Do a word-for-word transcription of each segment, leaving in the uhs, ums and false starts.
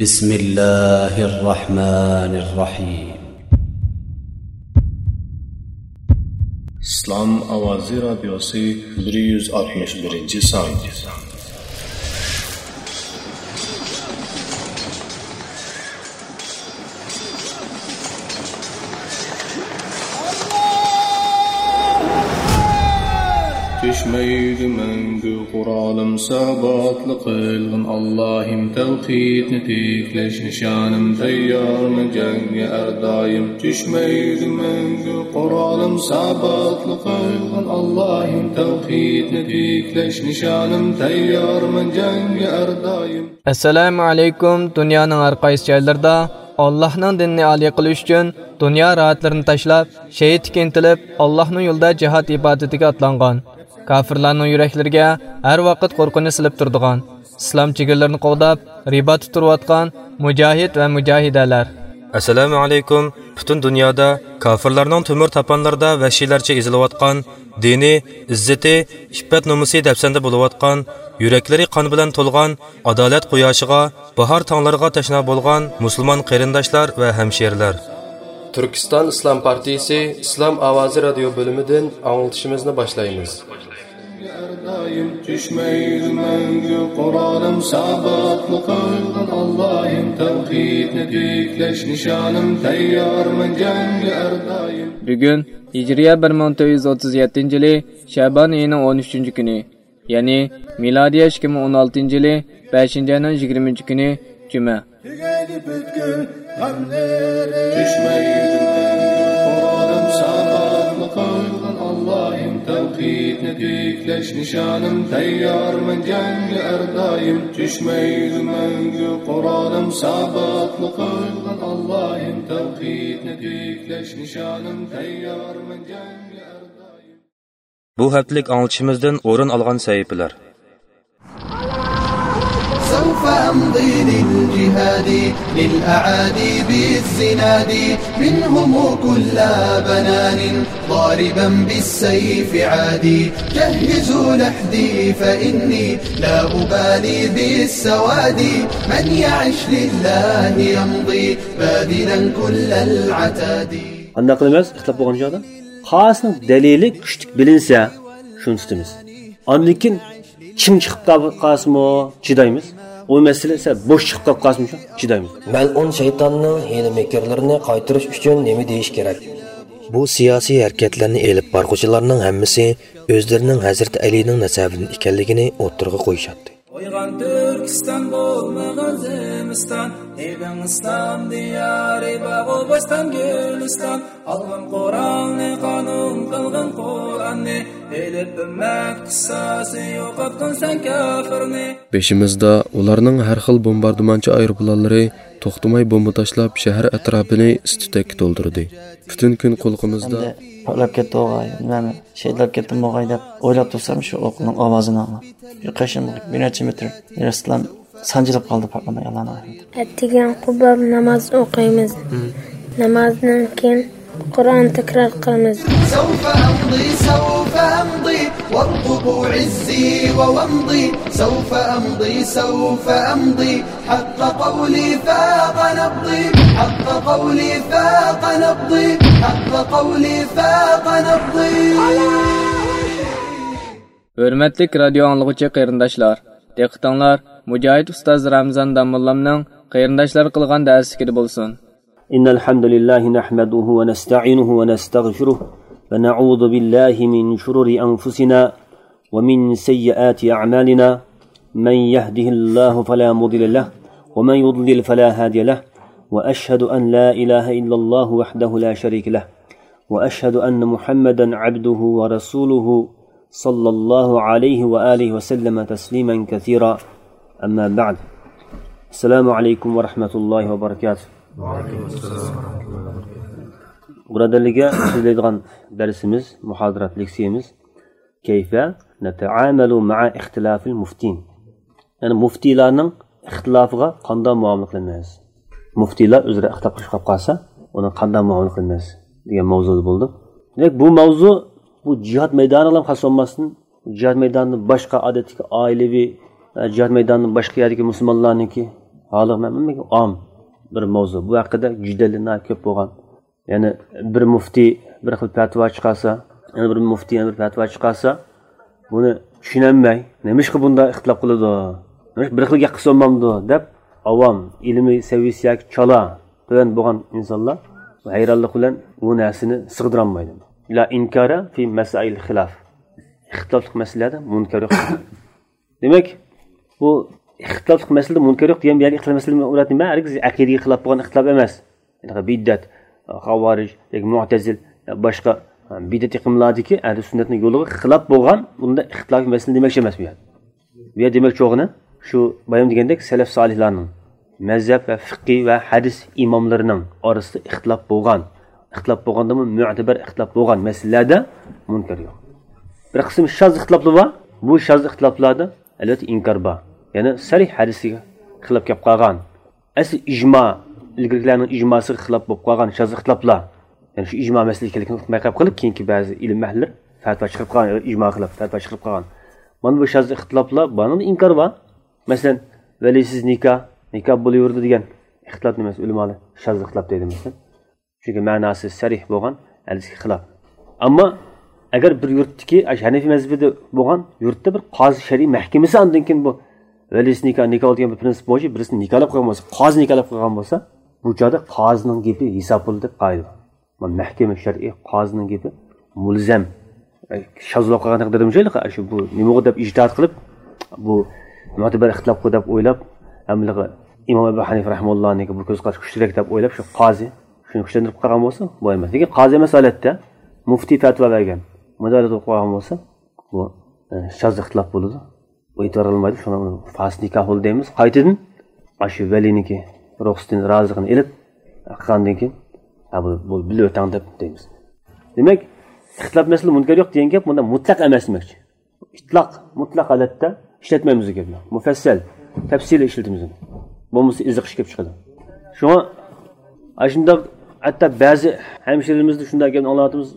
بسم الله الرحمن الرحيم. ئىسلام ئاۋازى رادىيوسى، بىر يۈز ئاتمىش بىرىنچى سان. چۈشمەيدۇ مەڭگۈ قورالىم، ساباتلىق قىلغىن ئاللاھىم، تەۋھىدنى تىكلەش نىشانىم، تەييارمەن جەڭگە ھەر دائىم. چۈشمەيدۇ مەڭگۈ قورالىم، ساباتلىق قىلغىن ئاللاھىم، تەۋھىدنى تىكلەش نىشانىم، تەييارمەن جەڭگە ھەر دائىم. ئەسسالامۇ ئەلەيكۇم. دۇنيانىڭ ھەر قايسى جايلىرىدا ئاللاھنىڭ دىنىنى ئالىي قىلىش ئۈچۈن دۇنيا راھەتلىرىنى تاشلاپ، شېھىتلىككە ئىنتىلىپ، ئاللاھنىڭ يولىدا جىھاد ئىبادىتىگە ئاتلانغان، كاپىرلارنىڭ يۈرەكلىرىگە ھەر ۋاقىت قورقۇنچ سېلىپ تۇرىدىغان، ئىسلام چېگرىلىرىنى قوغداپ، رىباتتا تۇرۇۋاتقان مۇجاھىد ۋە مۇجاھىدەلەر. ئەسسالامۇ ئەلەيكۇم. پۈتۈن دۇنيادا كاپىرلارنىڭ تۆمۈر تاپانلىرىدا ۋەھشىيلەرچە ئېزىلىۋاتقان دىنى، ئىززىتى، ئىپپەت نومۇسى دەپسەندە بولۇۋاتقان، يۈرەكلىرى قان بىلەن تولغان، ئادالەت قۇياشىغا، باھار تاڭلىرىغا تەشنا بولغان مۇسۇلمان قېرىنداشلار ۋە ھەمشىرىلەر. تۈركىستان ئىسلام پارتىيىسى ئىسلام ئاۋازى رادىيو بۆلۈمىدىن ئاڭلىتىشىمىزنى باشلايمىز. ھەر دائىم چۈشمەيدۇ مەڭگۈ قورالىم، ساباتلىق قىلغىن ئاللاھىم، تەۋھىدنى تىكلەش نىشانىم، تەييارمەن جەڭگە ھەر دائىم. بۈگۈن ھىجرىيە بىر مىڭ تۆت يۈز ئوتتۇز يەتتىنچى يىلى شەبان ئېيىنىڭ ئون ئۈچىنچى كۈنى، يەنى مىلادىيە ئىككى مىڭ ئون ئالتىنچى يىلى بەشىنچى ئاينىڭ يىگىرمىنچى كۈنى جۈمە. تۈگەيدۇ پۈتكۈل غەملىرىم. چۈشمەيدۇ مەڭگۈ قورالىم، ساباتلىق قىلغىن ئاللاھىم، تەۋھىدنى تىكلەش نىشانىم، تەييارمەن جەڭگە ھەر دائىم. چۈشمەيدۇ مەڭگۈ قورالىم، ساباتلىق قىلغىن ئاللاھىم، تەۋھىدنى تىكلەش نىشانىم، تەييارمەن جەڭگە ھەر دائىم. بۇ ھەپتىلىك ئاڭلىتىشىمىزدىن ئورۇن ئالغان سەھىپىلەر. سوف أمضي للجهاد للأعادي بالزناد منهم كل بنان ضاربا بالسيف عادي جهزوا لحدي فإني لا أبالي بالسواد من يعش لله يمضي باذلا كل العتاد. قانداق قىلىمىز؟ ئىختىلاپ بولغان چاغدا قايسىنىڭ دەلىلى كۈچلۈك بىلىنسە، شۇنى تۇتىمىز. ئاندىن كېيىن چىڭ چىقىپ قال-، قالسىمۇ چىدايمىز. ئۇ مەسىلە سەل بوش چىقىپ قالسىمۇ شۇ چىدايمىز. مەلئۇن شەيتاننىڭ ھىيلە-مىكىرلىرىنى قايتۇرۇش ئۈچۈن نېمە دېيىش كېرەك؟ بۇ سىياسىي ھەرىكەتلەرنى ئېلىپ بارغۇچىلارنىڭ ھەممىسى ئۆزلىرىنىڭ ھەزرىتى ئەلىنىڭ نەسەبىدىن ئىكەنلىكىنى ئوتتۇرىغا قويۇشاتتى. ئويغان تۈركىستان، بولمىغان زىمىستان، ئېلىڭ ئىسلام دىيارى، باغۇ بوستان گۈلىستان. ئالغىن قورالنى، قانۇن قىلغىن قۇرئاننى، ئېلىپ ئۈممەت قىساسى، يوقاتقىن سەن كاپىرنى. بېشىمىزدا ئۇلارنىڭ ھەر خىل بومباردىمانچى ئايروپىلانلىرى توختىماي بومبا تاشلاپ، شەھەر ئەتراپىنى ئىس-تۈتەككە تولدۇردى. پۈتۈن كۈن قۇلىقىمىزدا ئەمدى پارتلاپ كەتتى ئوغاي، نېمە، شېھىتلەپ كەتتىمۇ ئوغاي دەپ ئويلاپ تۇرسام، شۇ ئوقنىڭ ئاۋازىنى ئاڭلاپ، يۇقىرى بىر نەچچە مېتىر يېرىستىلا سانجىلىپ قالدى پارتلىماي، ئاللا ناھايىتى. ئەتىگەن قۇباب ناماز ئوقۇيمىز. نامازدىن كېيىن قۇرئان تەكرار قىلىمىز. سوف أمضي، سوف أمضي، وارقبوا عزي وومضي. سوف أمضي، سوف أمضي، حق قولي فاق نبضي، حق قولي فاق نبضي، حق قولي فاق نبضي. ھۆرمەتلىك رادىيو ئاڭلىغۇچى قېرىنداشلار، دىققىتىڭلار مۇجاھىد ئۇستاز رامىزان داموللامنىڭ قېرىنداشلارغا قىلغان دەرسلىكىدە بولسۇن. إن الحمد لله نحمده ونستعينه ونستغفره ونعوذ بالله من شرور أنفسنا ومن سيئات أعمالنا. من يهده الله فلا مضل له ومن يضلل فلا هادي له. وأشهد أن لا إله إلا الله وحده لا شريك له. وأشهد أن محمدا عبده ورسوله صلى الله عليه وآله وسلم تسليما كثيرا. أما بعد. السلام عليكم ورحمة الله وبركاته. بۇرادەرلەرگە سۆزلەيدىغان دەرسىمىز، مۇھازىرات لېكسىيەمىز كيف نتعامل مع اختلاف المفتين. يەنى مۇفتىلارنىڭ ئىختىلاپىغا قانداق مۇئامىلە قىلىمىز؟ مۇفتىلار ئۆزئارا ئىختىلاپ قىلىشىپ قالسا، ئۇنى قانداق مۇئامىلە قىلىمىز دېگەن ماۋزۇدا بولدۇق. دېمەك، بۇ ماۋزۇ بۇ جىھاد مەيدانىغا خاس بولماستىن، جىھاد مەيدانىدىن باشقا ئادەتتىكى ئائىلىۋى، ئە، جىھاد مەيدانىدىن باشقا يەردىكى مۇسۇلمانلارنىڭكى ھالىغا مەن ئام بىر ماۋزۇ. بۇ ھەققىدە جېدەللەر ناھايىتى كۆپ بولغان. يەنى بىر مۇفتى بىر خىل پەتىۋا چىقارسا، يەنە بىر مۇفتى يەنە بىر پەتىۋا چىقارسا، بۇنى چۈشىنەلمەي، نېمىشقا بۇنداق ئىختىلاپ قىلىدۇ؟ نېمىشقا بىر خىل گەپ قىلسا بولمامدۇ؟ دەپ ئاۋام، ئىلمىي سەۋىيەسى ياكى چالا، تۆۋەن بولغان ئىنسانلار ھەيرانلىق بىلەن بۇ نەرسىنى سىغدۇرالمايدۇ. لا ئىنكارە فى مەسائىل خىلاف. ئىختىلاپلىق مەسىلىلەردە مۇنكەر يوق. دېمەك، بۇ ئىختىلاپلىق مەسىلىدە مۇنكەر يوق دېگەن بۇ يەردىكى ئىختىلاپ مەسىلە مۇراد نېمە؟ ھەرگىز ئەقىدىگە خىلاپ بولغان ئىختىلاپ ئەمەس. يەنى بىدئەت، خاۋارىج ياكى مۇئتەزىل، باشقا بىدئەت ئېقىملاردىكى ئەھلى سۈننەتنىڭ يولىغا خىلاپ بولغان بۇنداق ئىختىلاپىي مەسىلە دېمەكچى ئەمەس بۇ يەردە. بۇ يەردە دېمەكچى بولغىنى شۇ بايام دېگەندەك سەلەف سالىھلارنىڭ مەزھەپ ۋە فىقھى ۋە ھەدىس ئىماملىرىنىڭ ئارىسىدا ئىختىلاپ بولغان، ئىختىلاپ بولغاندىمۇ مۆتىبەر ئىختىلاپ بولغان مەسىلىلەردە مۇنكەر يوق. بىر قىسىم شاز ئىختىلاپلار بار. بۇ شاز ئىختىلاپلاردا ئەلۋەتتە ئىنكار بار. يەنى سەرىھ ھەدىسكە خىلاپ كەپ قالغان، ئەسلى ئىجما، ئىلگىرىكىلەرنىڭ ئىجماسىغا خىلاپ بولۇپ قالغان شاز ئىختىلاپلار. يەنى شۇ ئىجما مەسىلە ئىكەنلىكىنى ئۇقماي قېلىپ، كېيىنكى بەزى ئىلىم ئەھلىلىرى پەتىۋا چىقىرىپ قالغان، ئىجماغا خىلاپ پەتىۋا چىقىرىپ قالغان. مانا بۇ شاز ئىختىلاپلار، بۇنىڭدا ئىنكار بار. مەسىلەن، ۋەلىسىز نىكاھ، نىكاھ بولۇۋېرىدۇ دېگەن ئىختىلاپ نېمىسى؟ ئۆلىمالار شاز ئىختىلاپ دەيدۇ، مەسىلەن. چۈنكى مەناسى سەرىھ بولغان ھەدىسكە خىلاپ. ئەمما ئەگەر بىر يۇرتتىكى، ئاشۇ ھەنەفىي مەزھىپىدە بولغان يۇرتتا بىر قازى شەرئىي مەھكىمىسى ئاندىن كېيىن بۇ ۋەلىسىز نىكاھ، نىكاھ دېگەن بىر پرىنسىپ بويىچە بىرسىنى نىكاھلاپ قويغان بولسا، قازى نىكاھلاپ قويغان بولسا، بۇ چاغدا قازىنىڭ گېپى ھېساب بولىدۇ دەپ قائىدە بار. مەھكىمە شەرئىي قازىنىڭ گېپى مۇلزەم. شاز بولۇپ قالغان ھەققىدە دېدىم شۇ، شۇ بۇ نېمىغۇ دەپ ئىجتىھات قىلىپ، بۇ مۆتىبەر ئىختىلاپقۇ دەپ ئويلاپ، ھەممىلىقى ئىمام ئەبۇ ھەنىفە رەھىمۇللانىڭكى بۇ كۆز قارىشى كۈچلۈكرەك دەپ ئويلاپ، شۇ قازى شۇنى كۈچلەندۈرۈپ قالغان بولسا، بۇ ئەمەس. لېكىن قازى ئەمەس ھالەتتە مۇفتى پەتىۋا بەرگەن، مۇدارىس بولۇپ قالغان بولسا، بۇ، ئە، شاز ئىختىلاپ بولىدۇ. ئۇ ئېتىبار ئالمايدۇ، شۇڭا ئۇنى فاسىد نىكاھ بولدى دەيمىز. قايتىدىن ئاشۇ ۋەلىنىڭكى رۇخسىتىنى، رازىلىقىنى ئېلىپ، قىلغاندىن كېيىن، ھە، بۇ، بۇ بىلىۋېتىڭ دەپ دەيمىز. دېمەك، ئىختىلاپ مەسىلە مۇنكەر يوق دېگەن گەپ مۇنداق مۇتلەق ئەمەس دېمەكچى. ئىتلاق، مۇتلەق ھالەتتە ئىشلەتمەيمىز دېگەن گەپ. مۇپەسسەل، تەپسىلىي ئىشلىتىمىز. بولمىسا ئېزىقىش كېلىپ چىقىدۇ. شۇڭا ئاشۇنداق ھەتتا بەزى ھەمشىرىلىرىمىزدە شۇنداق گەپنى ئاڭلاۋاتىمىز،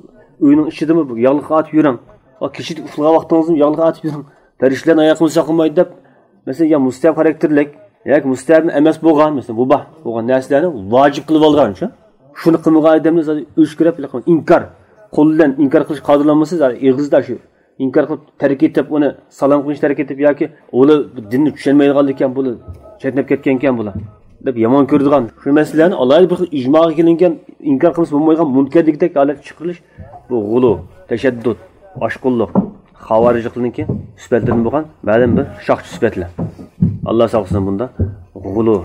ئۆينىڭ ئىچىدىمۇ ياغلىق ئاتىپ يۈرۈڭ. ۋە كېچىدە ئۇخلىغان ۋاقتىڭىزدىمۇ ياغلىق ئاتىپ يۈرۈڭ. پەرىشتىلەرنىڭ ئاياغ قىمىسى ساقلىمايدۇ دەپ، مەسىلەن، يا مۇستەھەب خاراكتېرلىك ياكى مۇستەھەب ئەمەس بولغان، مەسىلەن، مۇباھ بولغان نەرسىلەرنى ۋاجىپ قىلىپ ئالغان شۇ. شۇنى قىلمىغان ئادەمنى زادى ئۆچكىرەپ، ئىنكار، قول بىلەن ئىنكار قىلىش قادىرلانمىسا، زادى ئېغىزدا شۇ ئىنكار قىلىپ تەرك ئېتىپ، ئۇنى سالام قىلىش تەرك ئېتىپ ياكى ئۇلار دىننى چۈشەنمەيدىغانلىككەن، بۇلار چەتنەپ كەتكەنكەن بۇلار دەپ يامان كۆرىدىغان شۇ مەسىلىلەرنى ئالاھىدە بىر خىل ئىجماغا كېلىنگەن، ئىنكار قىلمىسا بولمايدىغان مۇنكەر دېگۈدەك ھالەتكە چىقىرىلىش، بۇ غۇلۇ، تەشەددۇت، ئاشقۇنلۇق، خاۋارىجلىقنىڭكى سۈپەتلىرىدىن بولغان مەلۇم بىر شاخچى سۈپەتلەر. ئاللا ساقلىسۇن بۇنداق غۇلۇ،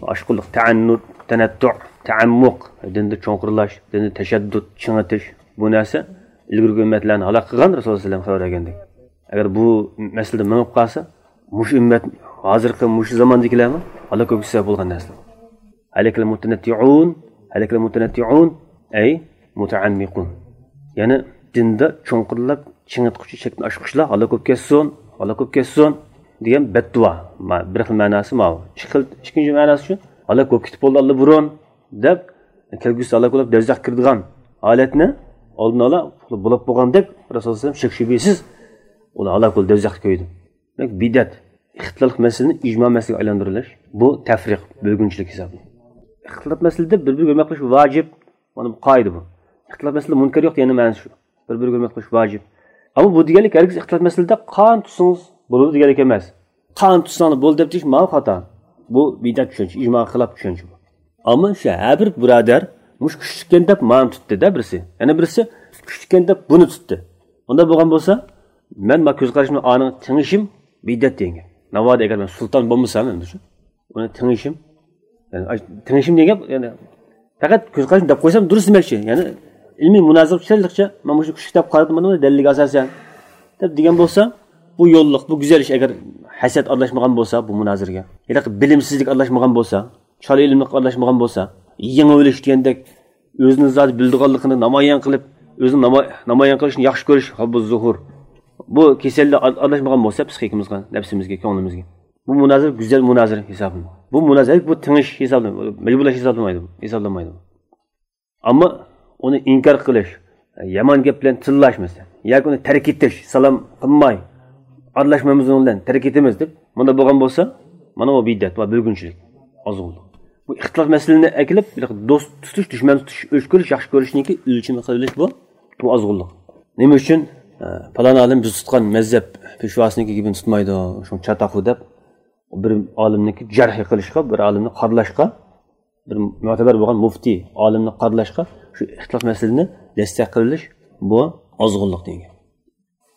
ئاشقۇنلۇق، تەئەننۇت، تەنەتتۇ، تەئەممۇق، دىندا چوڭقۇرلاش، دىندا تەشەددۇت، چىڭىتىش، بۇ نەرسە ئىلگىرىكى ئۈممەتلەرنى ھالاك قىلغان، رەسۇلۇللاھ سەللەللاھۇ ئەلەيھى ۋەسەللەم خەۋەر بەرگەندەك. ئەگەر بۇ مەسىلىدە مېڭىپ قالسا، مۇشۇ ئۈممەت، ھازىرقى مۇشۇ زاماندىكىلەرمۇ ھالاك بولۇشقا سەۋەب بولغان نەرسىلەر. ھەلەكەل مۇتەنەتتىئۇن، ھەلەكەل مۇتەنەتتىئۇن، ئەي مۇتەئەممىقۇن. يەنى دىندا چوڭقۇرلاپ، چىڭىتقۇچى، چەكتىن ئاشقۇچىلار ھالاك بولۇپ كەتسۇن، ھالاك بولۇپ كەتسۇن دېگەن بەددۇئا. ما-، بىر خىل مەناسى ماۋۇ. ئىككى خىل، ئىككىنچى مەناسى شۇ، ھالاك بولۇپ كېتىپ بولدى ئاللىبۇرۇن دەپ، كەلگۈسىدە ھالاك بولۇپ، دوزاخقا كىرىدىغان ھالەتنى ئالدىنى ئالا بولۇپ بولغاندەك، رەسۇلۇللاھ سەللەللاھۇ ئەلەيھى ۋەسەللەم شەك شۈبھىسىز ئۇلار ھالاك بولدى، دوزاختا كۆيدى. دېمەك، بىدئەت، ئىختىلاپلىق مەسىلىنى ئىجما مەسىلىگە ئايلاندۇرۇۋېلىش، بۇ تەفرىق، بۆلگۈنچىلىك ھېسابلىنىدۇ. ئىختىلاپ مەسىلىدە بىر-بىرىگە ھۆرمەت قىلىش ۋاجىپ، مانا بۇ قائىدە بۇ. ئىختىلاپ مەسىلىدە مۇنكەر يوق دېگەننىڭ مەنىسى شۇ. بىر-بىرىگە ھۆرمەت قىلىش ۋاجىپ. ئەمما بۇ دېگەنلىك ھەرگىز ئىختىلاپ مەسىلىدە قان تۇتسىڭىز بولىدۇ دېگەنلىك ئەمەس. قان تۇتساڭلار بولدى دەپ دېيىش ماۋۇ خاتا. بۇ بىدئەت چۈشەنچە، ئىجماغا خىلاپ چۈشەنچە بۇ. ئەمما شۇ ھەر بىر بۇرادەر مۇشۇ كۈچلۈككەن دەپ مانى تۇتتى-دە بىرسى. يەنە بىرسى كۈچلۈككەن دەپ بۇنى تۇتتى. ئۇنداق بولغان بولسا، مەن ما كۆز قارىشىمنى ئانىڭ تېڭىشىم بىدئەت دېگەن گەپ. ناۋادا ئەگەر مەن سۇلتان بولمىسام ئەمدى شۇ، ئۇنى تېڭىشىم، يەنى ئاي-، تېڭىشىم دېگەن گەپ، يەنى پەقەت كۆز قارىشىم دەپ قويسام دۇرۇس دېمەكچى. يەنى ئىلمىي مۇنازىرە چۈشەنلىكچە، مەن مۇشۇ كۈچلۈك دەپ قارىدىم، مانا دەلىلگە ئاساسەن دەپ دېگەن بولسا، بۇ يوللۇق، بۇ گۈزەل ئىش. ئەگەر ھەسەت ئارىلاشمىغان بولسا بۇ مۇنازىرىگە، ياكى بىلىمسىزلىك ئارىلاشمىغان بولسا، چالا ئىلىملىق ئارىلاشمىغان بولسا، يېڭىۋېلىش دېگەندەك ئۆزىنى زادى بىلىدىغانلىقىنى نامايان قىلىپ، ئۆزىنى ناما-، نامايان قىلىشنى ياخشى كۆرۈش، ھۇببۇز زۇھۇر. بۇ كېسەللەر ئار-، ئارىلاشمىغان بولسا پسىخىكىمىزغا، نەپسىمىزگە، كۆڭلىمىزگە. بۇ مۇنازىرە گۈزەل مۇنازىرە ھېسابلىنىدۇ. بۇ مۇنازىرە بۇ تېڭىش ھېسابلىنىدۇ. مەجبۇرلاش ھېسابلىمايدۇ، ھېسابلانمايدۇ. ئەمما ئۇنى ئىنكار قىلىش، يامان گەپ بىلەن تىللاش مەسىلەن، ياكى ئۇنى تەرك ئېتىش، سالام قىلماي، ئارىلاشمايمىز ئۇنىڭ بىلەن، تەرك ئېتىمىز دەپ، مۇنداق بولغان بولسا، مانا بۇ بىدئەت ۋە بۆلگۈنچىلىك. ئازغۇنلۇق. بۇ ئىختىلاپ مەسىلىنى ئەكېلىپ، بىر دوست تۇتۇش، دۈشمەن تۇتۇش، ئۆچ كۆرۈش، ياخشى كۆرۈشنىڭكى ئۆلچىمى قىلىۋېلىش بۇ، بۇ ئازغۇنلۇق. نېمە ئۈچۈن؟ ئە، پالان ئالىم بىز تۇتقان مەزھەپ پېشۋاسىنىڭكى گېپىنى تۇتمايدۇ، شۇ چاتاق بۇ دەپ، بىر ئالىمنىڭكى جەرھى قىلىشقا، بىر ئالىمنى قارىلاشقا، بىر مۆتىبەر بولغان مۇفتى ئالىمنى قارىلاشقا شۇ ئىختىلاپ مەسىلىنى دەستەك قىلىۋېلىش، بۇ ئازغۇنلۇق دېگەن.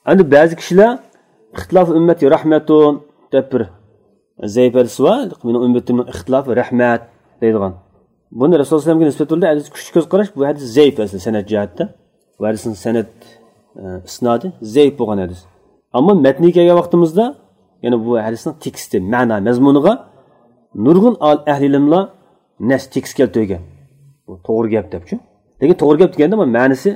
ئەمدى بەزى كىشىلەر «ئىختىلاف ئۈممەتى رەھمەتۇن» دەپ بىر زەئىپ ھەدىسى بار. «مېنىڭ ئۈممىتىمنىڭ ئىختىلاپى رەھمەت» دەيدىغان. بۇنى رەسۇل سەللەللاھۇ ئەلەيھى ۋەسەللەمگە نىسبەت بىلدۈرىدۇ. ھەدىس كۈچلۈك كۆز قاراش، بۇ ھەدىس زەئىپ ئەسلى سەنەد جەھەتتە. بۇ ھەدىسنىڭ سەنەد، ئە، ئىسنادى زەئىپ بولغان ھەدىس. ئەمما مەتنىگە كەلگەن ۋاقتىمىزدا، يەنى بۇ ھەدىسنىڭ تېكىستى، مەنا، مەزمۇنىغا نۇرغۇن ئال-، ئەھلى ئىلىملار نەس تېكىست كەلتۈرگەن. بۇ توغرا گەپ دەپچۇ. لېكىن توغرا گەپ دېگەندە بۇ مەنىسى،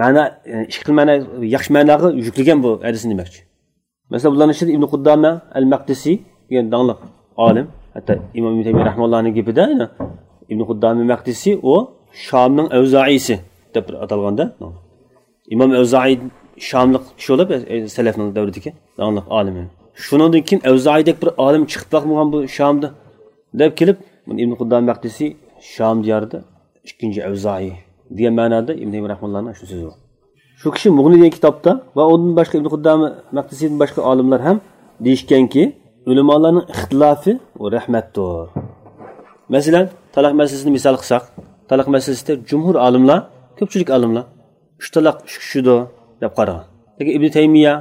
مەنا، ئە، ئىككى خىل مەنا، ياخشى مەناغا يۈكلىگەن بۇ ھەدىسنى دېمەكچى. مەسىلەن، بۇلارنىڭ ئىچىدە ئىبن قۇددامە ئەل مەقدىسى دېگەن داڭلىق ئالىم، ھەتتا ئىمام ئىبن تەيمىيە رەھىمەھۇللاھنىڭ گېپىدە، يەنى ئىبن قۇددامە مەقدىسى ئۇ شامنىڭ ئەۋزائىسى دەپ بىر ئاتالغاندا، ئىمام ئەۋزائى شاملىق كىشى بولۇپ، ئە، سەلەفنىڭ دەۋرىدىكى داڭلىق ئالىمى. شۇنىڭدىن كېيىن ئەۋزائىدەك بىر ئالىم چىقىپ باقمىغان بۇ شامدا دەپ كېلىپ، بۇنى ئىبن قۇددامە مەقدىسى شام دىيارىدا ئىككىنچى ئەۋزائى دېگەن مەنادا ئىبن تەيمىيە رەھىمەھۇللاھنىڭ شۇ سۆزى بار. شۇ كىشى مۇغنى دېگەن كىتابتا ۋە ئۇندىن باشقا ئىبن قۇددامە مەقدىسىدىن باشقا ئالىملار ھەم دېيىشكەنكى، ئۆلىمالارنىڭ ئىختىلافى ئۇ رەھمەتتۇر. مەسىلەن، تالاق مەسىلىسىنى مىسال قىلساق، تالاق مەسىلىسىدە جۇمھۇر ئالىملار، كۆپچىلىك ئالىملار ئۈچ تالاق ئۈچكە چۈشىدۇ دەپ قارىغان. لېكىن ئىبن تەيمىيە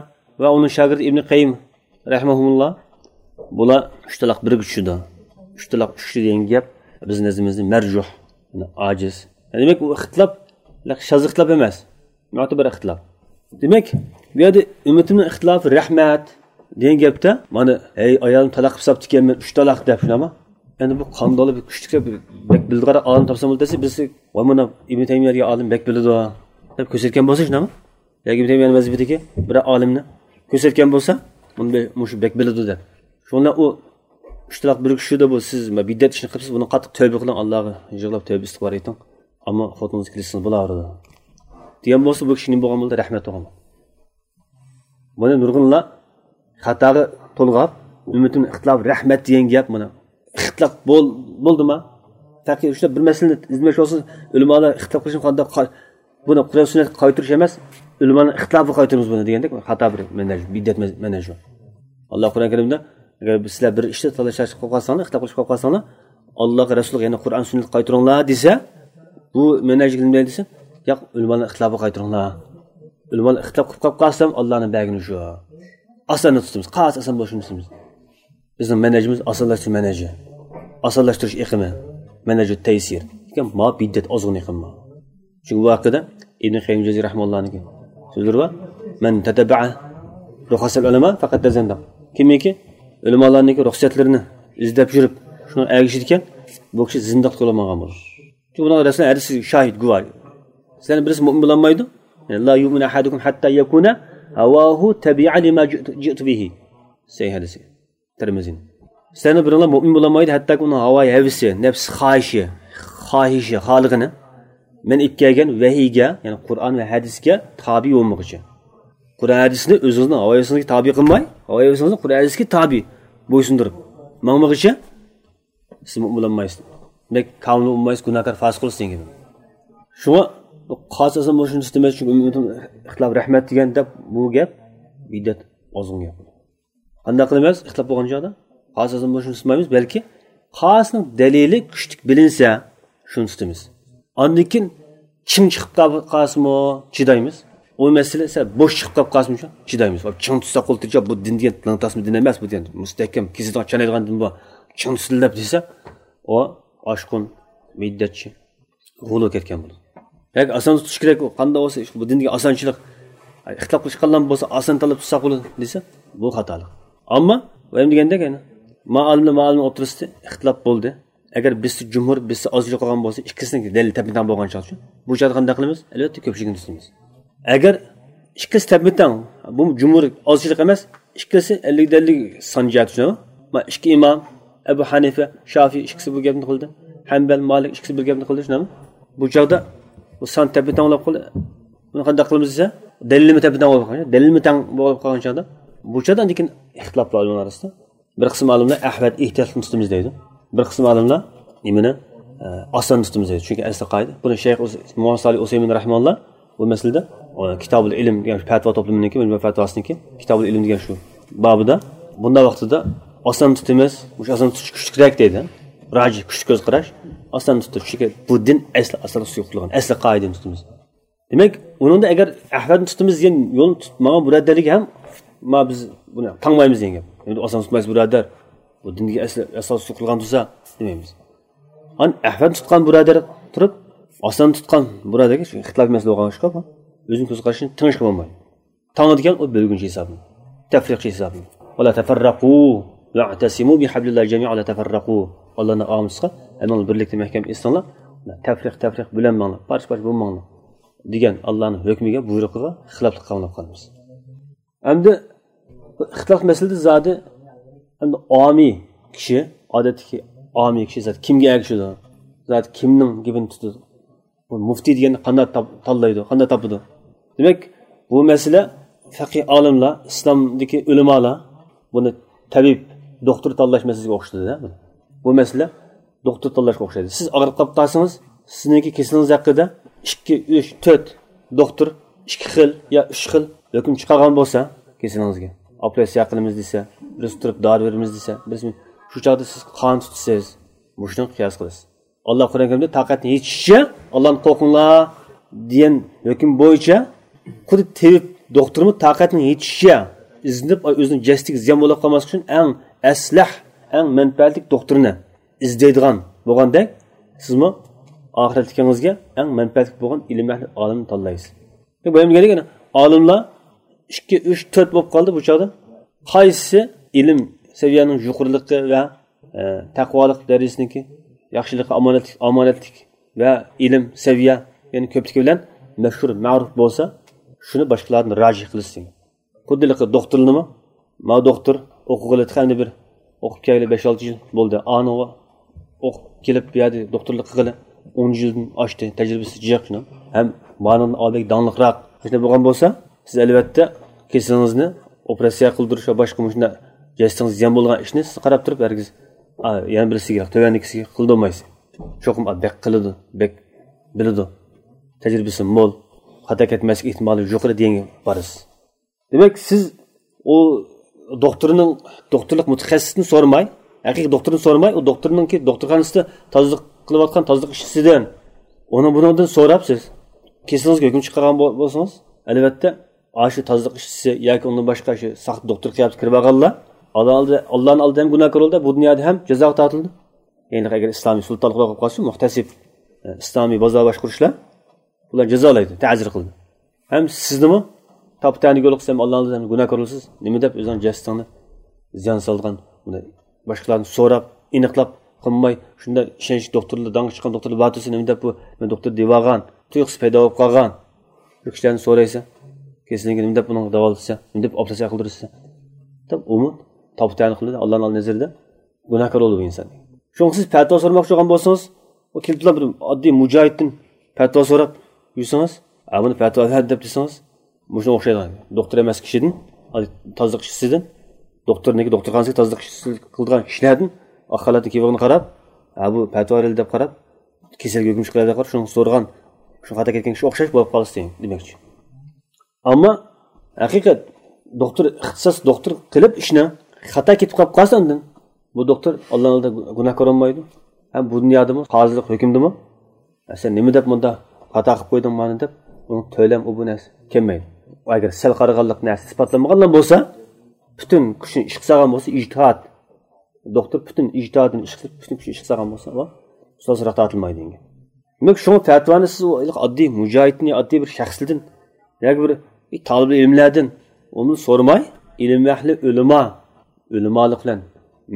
ۋە ئۇنىڭ شاگىرتى ئىبن قەييىم رەھىمەھۇمۇللا، بۇلار ئۈچ تالاق بىرگە چۈشىدۇ. ئۈچ تالاق ئۈچكە دېگەن گەپ بىز نەزىرىمىزدە مەرجۇھ، يەنى ئاجىز. دېمەك، ئۇ ئىختىلاپ شاز ئىختىلاپ ئەمەس، مۆتىبەر ئىختىلاپ. دېمەك، بۇ يەردە «ئۈممىتىمنىڭ ئىختىلاپى رەھمەت» دېگەن گەپتە، مانا، «ھەي، ئايالىمنى تالاق قىلىپ ساپتىكەنمەن، ئۈچ تالاق» دەپ، شۇنداقمۇ؟ ئەمدى بۇ قانداقلا بىر كۈچلۈك، بەك بىلىدىغان ئالىم تاپسام بولدى دېسە، بىرسى، «ۋاي، مانا ئىبن تەيمىيە دېگەن ئالىم بەك بىلىدۇ» دەپ كۆرسەتكەن بولسا، شۇنداقمۇ؟ ياكى ئىبن تەيمىيە مەزھىپىدىكى بىر ئالىمنى كۆرسەتكەن بولسا، بۇنى بە-، مۇشۇ بەك بىلىدۇ دەپ. شۇڭا ئۇ ئۈچ تالاق بىرگە چۈشىدۇ، بۇ سىز بىدئەت ئىشنى قىلىپسىز، بۇنى قاتتىق تەۋبە قىلىڭ، ئاللاغا يىغلاپ تەۋبە ئىستىغپار ئېيتىڭ. ئەمما خوتۇنىڭىزنى كېلىشسىڭىز بولاۋېرىدۇ دېگەن بولسا، بۇ كىشى نېمە بولغان بولدى؟ رەھمەت بولغان بولدى. بۇنى نۇرغۇنلار خاتاغا تولغاپ، «ئۈممىتىمنىڭ ئىختىلاپى رەھمەت» دېگەن گەپ مانا. ئىختىلاپ بول-، بولدىما؟ پەقەت شۇنداق بىر مەسىلىنى ئىزدىمەكچى بولسىڭىز، ئۆلىمالار ئىختىلاپ قىلىشىمۇ قانداق قا-، بۇنى قۇرئان سۈننەتكە قايتۇرۇش ئەمەس، ئۆلىمالارنىڭ ئىختىلاپىغا قايتۇرىمىز بۇنى دېگەندەك، خاتا بىر مەنھەج، بىدئەت مەز-، مەنھەج بۇ. ئاللا قۇرئان كەرىمدە، «ئەگەر سىلەر بىر ئىشتا تالاش-تارتىش قىلىپ قالساڭلار، ئىختىلاپ قىلىش قىلىپ قالساڭلار، ئاللاغا، رەسۇلىغا، يەنى قۇرئان سۈننەتكە قايتۇرۇڭلار» دېسە، بۇ مەنھەجگە نېمە دېسە، «ياق، ئۆلىمالارنىڭ ئىختىلاپىغا قايتۇرۇڭلار. ئۆلىمالار ئىختىلاپ قىلىپ قاپ قالسام، ئاللانىڭ بەرگىنى شۇ.» ئاساننى تۇتىمىز، قاس ئاسان بولۇشنى تۇتىمىز. بىزنىڭ مەنھەجىمىز ئاسانلاشتۇرۇش مەنھەجى. ئاسانلاشتۇرۇش ئېقىمى. مەنھەجۇت تەيسىر. لېكىن ما بىدئەت ئازغۇن ئېقىم ما. چۈنكى بۇ ھەققىدە ئىبن قەييىم جەززى رەھىمەھۇللاھنىڭكى سۆزلىرى بار. «مەن تەتەببەئە رۇخەسەل ئۇلەما فەقەد تەزەندەق.» كىمكى ئۆلىمالارنىڭكى رۇخسەتلىرىنى ئىزدەپ يۈرۈپ، شۇنىڭغا ئەگىشىدىكەن، بۇ كىشى زىندىقلىققا يول ماڭغان بولىدۇ. چۈنكى بۇنىڭ رەسۇلىنىڭ ھەدىسى شاھىت، گۇۋاھ. سىلەرنىڭ بىرسى مۇئمىن بولالمايدۇ. «لا يؤمن أحدكم حتى يكون هواه تبعا لما جئت، جئت به.» سەھىھ ھەدىسى. تىرمىزىنىڭ. سىلەرنىڭ بىرىڭلار مۇئمىن بولالمايدۇ، ھەتتاكى ئۇنىڭ ھاۋايى ھەۋىسى، نەپس خاھىشى، خاھىشى، خالىقىنى مەن ئېلىپ كەلگەن ۋەھىيگە، يەنى قۇرئان ۋە ھەدىسكە تابىي بولمىغۇچە. قۇرئان ھەدىسنى ئۆزىڭىزنىڭ ھاۋايى ھەۋىسىڭىزگە تابىي قىلماي، ھاۋايى ھەۋىسىڭىزنى قۇرئان ھەدىسكە تابىي بويسۇندۇرۇپ ماڭمىغۇچە، سىز مۇئمىن بولالمايسىز. دېمەك، كامىل بولمايسىز، گۇناھكار، فاسىق بولىسىز دېگەن گېپى. شۇڭا بۇ قاسىسىنى بولۇشىنى ئىستىمەيمىز، چۈنكى ئۈممىتىم ئىختىلاپ رەھمەت دېگەن دەپ، بۇ گەپ بىدئەت، ئازغۇن گەپ. قانداق قىلىمىز؟ ئىختىلاپ بولغان چاغدا قاسىسىنى بولۇشىنى ئىستىمەيمىز، بەلكى قاسىنىڭ دەلىلى كۈچلۈك بىلىنسە، شۇنى تۇتىمىز. ئاندىن كېيىن چىڭ چىقىپ قال-، قالسىمۇ چىدايمىز. ئۇ مەسىلە سەل بوش چىقىپ قالسىمۇ چىدايمىز. چىڭ تۇتساق بولدى، بۇ دىن دېگەن لىڭتاسما دىن ئەمەس، بۇ دېگەن مۇستەھكەم، كېسىدىغان چانايدىغان دىن بۇ. چىڭ تۇتۇلدى دەپ دېسە، ئۇ ئاشقۇن، بىدئەتچى، غۇلۇ كەتكەن بولىدۇ. ياكى ئاسان تۇتۇش كېرەك، ئۇ قانداق بولسا، بۇ دىندىكى ئاسانچىلىق، ئىختىلاپ قىلىشقانلار بولسا ئاسان تاللاپ تۇتساق بولىدۇ دېسە، بۇ خاتالىق. ئەمما ئۇ ھەم دېگەندەك، يەنى ما ئالىم بىلەن ما ئالىم ئوتتۇرىسىدا ئىختىلاپ بولدى. ئەگەر بىرسى جۇمھۇر، بىرسى ئازچىلىق قىلغان بولسا، ئىككىسىنىڭ دەلىلى تەپمە تەڭ بولغان چاغدا، بۇ چاغدا قانداق قىلىمىز؟ ئەلۋەتتە، كۆپچىلىكنى تۇتىمىز. ئەگەر ئىككىسى تەپمە تەڭ، بۇ جۇمھۇر ئازچىلىق ئەمەس، ئىككىسى ئەللىكتە ئەللىك سان جەھەتتە، شۇنداقمۇ؟ ما ئىككى ئىمام، ئەبۇ ھەنىفە، شافىئى ئىككىسى بۇ گەپنى قىلدى، ھەنبەل، مالىك ئىككىسى بىر گەپنى قىلدى، شۇنداقمۇ؟ بۇ چاغدا بۇ سان تەپمە تەڭ بولۇپ قالدى. بۇنى قانداق قىلىمىز دېسە، دەلىلمۇ تەپمە تەڭ بولۇپ قالغان، دەلىلمۇ تەڭ بولۇپ قالغان چاغدا، بۇ چاغدا ئاندىن كېيىن ئىختىلاپلار ئۆلىمالار ئارىسىدا. بىر قىسىم ئالىملار ئەھۋەت ئېھتىياتلىقنى تۇتىمىز دەيدۇ. بىر قىسىم ئالىملار نېمىنى، ئە، ئاسان تۇتىمىز دەيدۇ. چۈنكى ئەسلى قائىدە. بۇنى شەيخ ئۇس-، مۇھەممەد سالىھ ئۇسەيمىن رەھىمەللا بۇ مەسىلىدە، ئە، كىتابۇل ئىلم دېگەن پەتىۋا توپلىمىنىڭكى، مەجمۇئە پەتىۋاسىنىڭكى، كىتابۇل ئىلم دېگەن شۇ بابىدا، بۇنداق ۋاقتىدا ئاسان تۇتىمىز، مۇشۇ ئاسان تۇتۇش كۈچلۈكرەك دەيدۇ. راجىھ، كۈچلۈك كۆز قاراش، ئاسان تۇتۇش. چۈنكى بۇ دىن ئەسلى ئاساسلىق سۇيۇقلۇغان، ئەسلى قائىدىنى تۇتىمىز. دېمەك، ئۇنىڭدا ئەگەر ئەھۋەلنى تۇتىمىز دېگەن يولنى تۇتۇپ ماڭغان بۇرادەرلىكى ھەم، ما بىز بۇنى تاڭمايمىز دېگەن گەپ. ئەمدى ئاسان تۇتمايسىز بۇرادەر. بۇ دىندىكى ئەسلى ئاساس سۇيۇقلۇغان تۇرسا دېمەيمىز. ئان ئەھۋەلنى تۇتقان بۇرادەر تۇرۇپ، ئاسان تۇتقان بۇرادەرگە، چۈنكى ئىختىلاپ مەسىلە بولغان ئىشقا، ئۆزىنىڭ كۆز قارىشىنى تېڭىشقا بولمايدۇ. تاڭىدىكەن ئۇ بۆلگۈنچى ھېسابىنى، تەفرىقچى ھېسابىنى. ۋەلا تەفەررەقۇ ۋەئتەسىمۇ بىھەبلىللاھى جەمىئەن ۋەلا تەفەررەقۇ. ئاللانىڭ ئامىسىغا ھەممىڭلار بىرلىكتە مەھكەم ئېسىلىڭلار. تەپرىق، تەپرىق بۆلەنمەڭلار، پارچە، پارچە بولماڭلار دېگەن ئاللانىڭ ھۆكمىگە، بۇيرۇقىغا خىلاپلىق قىلىپ قالىمىز. ئەمدى بۇ ئىختىلاپ مەسىلىدە زادى، ئەمدى ئامىي كىشى، ئادەتتىكى ئامىي كىشى زادى كىمگە ئەگىشىدۇ؟ زادى كىمنىڭ گېپىنى تۇتىدۇ؟ بۇ مۇفتى دېگەننى قانداق تاپ-، تاللايدۇ، قانداق تاپىدۇ؟ دېمەك، بۇ مەسىلە فەقىھ ئالىملار، ئىسلامدىكى ئۆلىمالار بۇنى تەبىب، دوختۇر تاللاش مەسىلىسىگە ئوخشىتىدۇ. بۇ مەسىلە دوختۇر تاللاشقا ئوخشايدۇ. سىز ئاغرىپ قاپقالسىڭىز، سىزنىڭكى كېسىلىڭىز ھەققىدە ئىككى، ئۈچ، تۆت دوختۇر ئىككى خىل يا ئۈچ خىل ھۆكۈم چىقارغان بولسا، كېسىلىڭىزگە ئوپېراتسىيە قىلىمىز دېسە، بىرسى تۇرۇپ دارى بېرىمىز دېسە، بىرسى، شۇ چاغدا سىز قان تۇتىسىز. مۇشۇنى قىياس قىلىسىز. ئاللا قۇرئان كەرىمدە تاقەتنىڭ يېتىشىچە ئاللانى قورقۇڭلار دېگەن ھۆكۈم بويىچە، خۇددى تېبىب، دوختۇرمۇ تاقەتنىڭ يېتىشىچە ئىزدىنىپ، ئۆزىنىڭ جەسىتىگە زىيان بولۇپ قالماسلىق ئۈچۈن ئەڭ ئەسلەھ، ئەڭ مەنپەئەتلىك دوختۇرنى ئىزدەيدىغان بولغاندەك، سىزمۇ ئاخىرەتلىكىڭىزگە ئەڭ مەنپەئەتلىك بولغان ئىلىم ئەھلى ئالىمنى تاللايسىز. بۇ يەردە ئالىملار ئىككى، ئۈچ، تۆت بولۇپ قالدى بۇ چاغدا. قايسىسى ئىلىم سەۋىيەنىڭ يۇقىرىلىقى ۋە، ئە، تەقۋالىق دەرىجىسىنىڭكى ياخشىلىقى، ئامانەتلىك، ئامانەتلىك ۋە ئىلىم سەۋىيە، يەنى كۆپلۈكى بىلەن مەشھۇر، مەرۇپ بولسا، شۇنى باشقىلاردىن راجىھ قىلىسىز. خۇددى ھېلىقى دوختۇرنىمۇ، ما دوختۇر ئوقۇغىلى تېخى ئەمدى بىر ئوقۇپ كەلگىلى بەش-ئالتە يىل بولدى. ئانىڭغا ئوقۇپ كېلىپ، بۇ يەردە دوختۇرلۇق قىلغىلى ئون يىلدىن ئاشتى، تەجرىبىسى جىق شۇنىڭ. ھەم مانىڭدىن ئالدىدىكى داڭلىقراق. شۇنداق بولغان بولسا، سىز ئەلۋەتتە كېسىلىڭىزنى ئوپېراتسىيە قىلدۇرۇش ۋە باشقا مۇشۇنداق جەسىتىڭىز زىيان بولغان ئىشنى سىز قاراپ تۇرۇپ ھەرگىز، ئا، يەنە بىرسىگە، تۆۋەندىكىسىگە قىلدۇرمايسىز. چوقۇم، ئا، بەك قىلىدۇ، بەك بىلىدۇ، تەجرىبىسى مول، خاتا كەتمەسلىك ئېھتىمالى يۇقىرى دېگەنگە بارىسىز. دېمەك، سىز ئۇ دوختۇرنىڭ، دوختۇرلۇق مۇتەخەسسىسىنى سورىماي، ھەقىقىي دوختۇرنى سورىماي، ئۇ دوختۇرنىڭكى دوختۇرخانىسىدا تازىلىق قىلىۋاتقان تازىلىق ئىشچىسىدىن، ئۇنىڭ بۇنىڭدىن سوراپ سىز كېسىلىڭىزگە ھۆكۈم چىقارغان بول-، بولسىڭىز، ئەلۋەتتە، ئاشۇ تازىلىق ئىشچىسى ياكى ئۇندىن باشقا شۇ ساختا دوختۇر قىياپىتىگە كىرىپ ئالغانلار ئاللا ئالدى-، ئاللانىڭ ئالدىدا ھەم گۇناھكار بولىدۇ، بۇ دۇنيادا ھەم جازاغا تارتىلىدۇ. يەنى ئەگەر ئىسلامىي سۇلتانلىق بولۇپ قالسا، مۇھتەسىب، ئە، ئىسلامىي بازار باشقۇرۇشلار بۇلار جازالايدۇ، تەزىر قىلىدۇ. ھەم سىزنىمۇ تاپا-تەنە يولۇقسا ھەم ئاللانىڭ ئالدىدا ھەم گۇناھكار بولىسىز. نېمە دەپ ئۆزىڭىز جەسىتىڭنى زىيان سالىدىغان، بۇنى باشقىلاردىن سوراپ، ئېنىقلاپ قىلماي، شۇنداق ئىشەنچلىك دوختۇرلار، داڭلىق چىققان دوختۇرلار بار تۇرسا، نېمە دەپ بۇ مەن دوختۇر دېۋالغان، تۇيۇقسىز پەيدا بولۇپ قالغان بۇ كىشىلەرنى سورايسەن، كېسىلىنى نېمە دەپ بۇنىڭغا داۋالىتىسەن، نېمە دەپ ئوپېراتسىيە قىلدۇرىسەن دەپ، ئۇمۇ تاپا-تەنە قىلىدۇ، ئاللانىڭ نەزىرىدە گۇناھكار بولىدۇ بۇ ئىنسان. شۇڭا سىز پەتىۋا سورىماقچى بولغان بولسىڭىز، ئۇ كېلىپلا بىر ئاددىي مۇجاھىدتىن پەتىۋا سوراپ يۈرسىڭىز، ئا، بۇنى پەتىۋا بەر دەپ دېسىڭىز، مۇشۇنىڭغا ئوخشايدىغان. دوختۇر ئەمەس كىشىدىن، تازىلىق ئىشچىسىدىن، دوختۇرنىڭكى دوختۇرخانىسىدىكى تازىلىق ئىشچىسى قىلىدىغان كىشىلەردىن ئاق خالاتنى كىيىۋالغىنىغا قاراپ، ھە، بۇ پەتىۋا بېرىلدى دەپ قاراپ، كېسەلگە ھۆكۈم چىقىرىلدى دەپ قاراپ، شۇنىڭغا سورىغان، شۇ خاتا كەتكەن كىشىگە ئوخشاش بولۇپ قالىسىز دېمەكچى. ئەمما ھەقىقەت دوختۇر، ئىختىساس دوختۇر قىلىپ ئىشنى خاتا كېتىپ قالىپ قالسا ئاندىن، بۇ دوختۇر ئاللانىڭ ئالدىدا گۇناھكار بولمايدۇ. ھەم بۇ دۇنيادىمۇ، قازىلىق ھۆكۈمدىمۇ، «سەن نېمە دەپ مۇنداق خاتا قىلىپ قويدۇڭ مانا؟» دەپ، ئۇنىڭ تۆلەم ئۇ بۇ نەرسە كەلمەيدۇ. ئەگەر سەل قارىغانلىق نەرسە ئىسپاتلانمىغانلا بولسا، پۈتۈن كۈچىنى ئىشقا سالغان بولسا، ئىجتىھات، دوختۇر پۈتۈن ئىجتىھادىنى ئىشقا سېلىپ، پۈتۈن كۈچىنى ئىشقا سالغان بولسا، ئۇ سۇسراق تارتىلمايدۇ دېگەن. دېمەك، شۇڭا پەتىۋانى سىز ئۇ ئاددىي مۇجاھىدتىن، ئاددىي بىر شەخسلەردىن ياكى بىر تالىبى ئىلىملەردىن ئۇنى سورىماي، ئىلىم ئەھلى ئۆلىما، ئۆلىمالىق بىلەن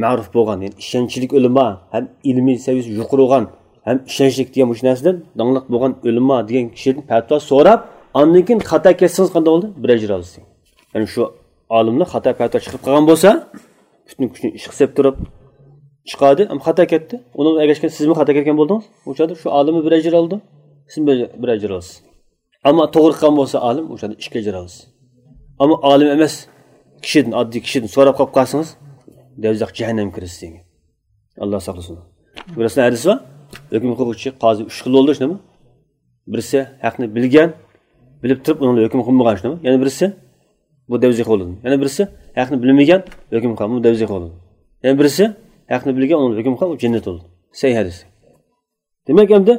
مەرۇپ بولغان، يەنى ئىشەنچلىك ئۆلىما ھەم ئىلمىي سەۋىيەسى يۇقىرى بولغان ھەم ئىشەنچلىك دېگەن مۇشۇ نەرسىدىن داڭلىق بولغان ئۆلىما دېگەن كىشىدىن پەتىۋا سوراپ، ئاندىن كېيىن خاتا كەتسىڭىز قانداق بولىدۇ؟ بىر ئەجىر ئالىسىز. يەنى شۇ ئالىملار خاتا پەتىۋا چىقىرىپ قالغان بولسا، پۈتۈن كۈچىنى ئىشقا سېلىپ تۇرۇپ چىقاردى، ئەمما خاتا كەتتى. ئۇنىڭغا ئەگەشكەن سىزمۇ خاتا كەتكەن بولدىڭىز. ئۇ چاغدا شۇ ئالىممۇ بىر ئەجىر ئالىدۇ، سىزمۇ بىر، بىر ئەجىر ئالىسىز. ئەمما توغرا قىلغان بولسا ئالىم، ئۇ چاغدا ئىككى ئەجىر ئالىسىز. ئەمما ئالىم ئەمەس كىشىدىن، ئاددىي كىشىدىن سوراپ قاپ قالسىڭىز، دوزاخ جەھەننەمگە كىرىسىز دېگەن. ئاللا ساقلىسۇن. رەسۇلنىڭ ھەدىسى بار. ھۆكۈم قىلغۇچى قازى ئۈچ خىل بولىدۇ، شۇنداقمۇ؟ بىرسى ھەقنى بىلگەن، بىلىپ تۇرۇپ ئۇنىڭ ھۆكۈم قىلمىغان، شۇنداقمۇ؟ يەنە بىرسى بۇ دەۋزىخ بولىدۇ. يەنە بىرسى ھەقنى بىلمىگەن، ھۆكۈم قىلغان، بۇ دەۋزىخ بولىدۇ. يەنە بىرسى ھەقنى بىلگەن، ئۇنىڭ ھۆكۈم قىلغان، ئۇ جەننەت بولىدۇ. سەھىھ ھەدىس. دېمەك، ئەمدى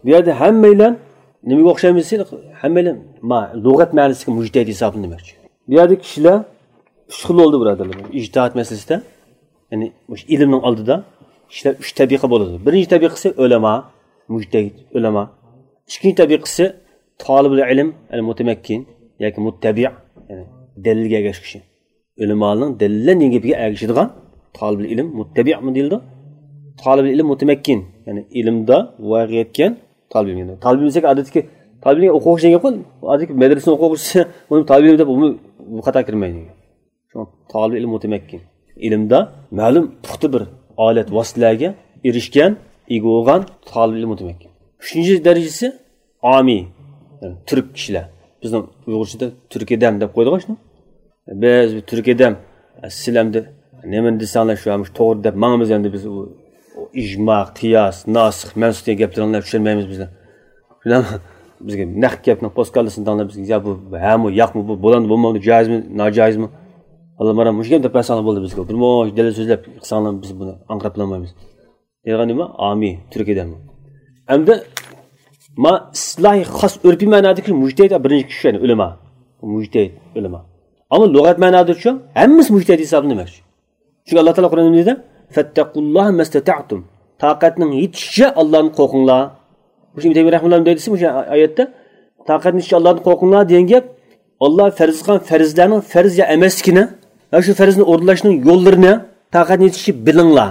بۇ يەردە ھەممەيلەن نېمىگە ئوخشايمىز دېسە، ھەممەيلەن ما-، لۇغەت مەنىسىدىكى مۇجتەھىد ھېسابلىنىدۇ دېمەكچى. بۇ يەردە كىشىلەر ئۈچ خىل بولدى، بۇرادەرلەر. ئىجتىھاد مەسىلىسىدە، يەنى مۇشۇ ئىلىمنىڭ ئالدىدا كىشىلەر ئۈچ تەبىقە بولىدۇ. بىرىنچى تەبىقىسى ئۆلەما، مۇجتەھىد ئۆلەما. ئىككىنچى تەبىقىسى تالىبۇل ئىلىم، يەنى مۇتەمەككىن ياكى مۇتتەبىئ، يەنى دەلىلگە ئەگەشكۈچى. ئۆلىمالارنىڭ دەلىللەر دېگەن گېپىگە ئەگىشىدىغان تالىبۇل ئىلىم مۇتتەبىئمۇ دېيىلىدۇ. تالىبۇل ئىلىم مۇتەمەككىن، يەنى ئىلىمدا ۋايىغا يەتكەن تالىبىل ئىلىم. تالىبىل ئىلىم دېسەك، ئادەتتىكى تالىبىل ئىلىم ئوقۇغۇچى دېگەن گەپ، ئادەتتىكى مەدرىسىنىڭ ئوقۇغۇچىسى ئۇنى تالىبىل ئىلىم دەپ، ئۇمۇ بۇ قاتارغا كىرمەيدۇ. شۇڭا تالىبىل ئىلىم مۇتەمەككىن. ئىلىمدا مەلۇم پۇختا بىر ئالەت ۋاسىتىلەرگە ئېرىشكەن، ئىگە بولغان تالىبىل ئىلىم مۇتەمەككىن. ئۈچىنچى دەرىجىسى ئامىي، يەنى تۈرك كىشىلەر. بىزنىڭ ئۇيغۇرچىدا تۈرك ئادەم دەپ قويدۇق شۇنى. بىز بۇ تۈرك ئادەم، سىلەر ئەمدى نېمىنى دېسەڭلار شۇ، مۇشۇ توغرا دەپ ماڭىمىز ئەمدى بىز. ئۇ، ئۇ ئىجما، قىياس، ناسىخ، مەنسۇخ دېگەن گەپلىرىڭلارنى چۈشەنمەيمىز بىز. شۇنداق بىزگە نەق گەپنىڭ پوسكاللىسىنى دەڭلار بىزگە. يا بۇ ھەمۇ، ياقمۇ، بۇ بولامدۇ، بولمامدۇ، جايىزمۇ، ناجايىزمۇ؟ ئاللامۇرام مۇشۇ گەپنى دەپ بەرسەڭلار بولدى بىزگە. بىر مۇنچە دەلىل سۆزلەپ قىلساڭلار بىز بۇنى ئاڭقىراپ بولالمايمىز. دەيدىغان نېمە؟ ئامىي، تۈركىيەدە. ئەمدى ما ئىستىلاھىي خاس ئۆرپىي مەنادىكى مۇجتەھىد بىرىنچى كىشى، يەنى ئۆلىما. مۇجتەھىد، ئۆلىما. ئەمما لۇغەت مەنادىچۇ؟ ھەممىسى مۇجتەھىد ھېسابلىنىدۇ دېمەكچى. چۈنكى ئاللا تائالا قۇرئاندا نېمە دېدى؟ فەتتەقۇللاھە مەستەتەئتۇم. تاقەتنىڭ يېتىشىچە ئاللانى قورقۇڭلار. مۇشۇ ئىبن تەيمىيە رەھىمەھۇللا نېمە دەيدۇ دېسە، مۇشۇ ئايەتتە تاقەتنىڭ يېتىشىچە ئاللانى قورقۇڭلار دېگەن گەپ، ئاللا پەرز قىلغان پەرزلەرنىڭ پەرز يا ئەمەسلىكىنى ۋە شۇ پەرزنى ئورۇنلاشنىڭ يوللىرىنى تاقەتنىڭ يېتىشىچە بىلىڭلار.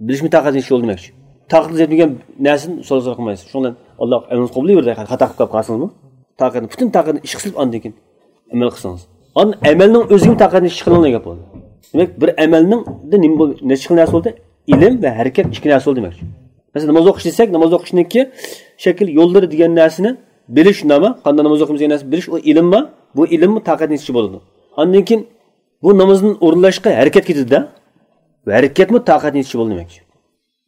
بىلىشمۇ تاقەتنىڭ يېتىشىچە بولىدۇ دېمەكچى. تاقەتنىڭ يەتمىگەن نەرسىنى سورىسا قىلمايسىز. شۇڭا ئاللا ئەمرىڭىزنى قوبۇل قىلىۋېرىدۇ، خاتا قىلىپ قالسىڭىزمۇ. تاقەتنى، پۈتۈن تاقەتنى ئىشقا سېلىپ ئاندىن كېيىن ئەمەل قىلسىڭىز. ئاندىن ئەمەلنىڭ ئۆزىگىمۇ تاقەتنى ئىشقا سېلىڭ دېگەن گەپ بولدى. دېمەك، بىر ئەمەلنىڭ نېمە بول-، نەچچە خىل نەرسە بولدى؟ ئىلىم ۋە ھەرىكەت ئىككى نەرسە بولدى دېمەكچى. مەسىلەن، ناماز ئوقۇش دېسەك، ناماز ئوقۇشنىڭكى شەكىل يوللىرى دېگەن نەرسىنى بىلىش، نېمە؟ قانداق ناماز ئوقۇيمىز دېگەن نەرسىنى بىلىش، ئۇ ئىلىممۇ؟ بۇ ئىلىممۇ تاقەتنى يېتىشىچە بولىدۇ. ئاندىن كېيىن بۇ نامازنى ئورۇنلاشقا ھەرىكەت كېتىدۇ-دە. ۋە ھەرىكەتمۇ تاقەتنى يېتىشىچە بولىدۇ دېمەكچى.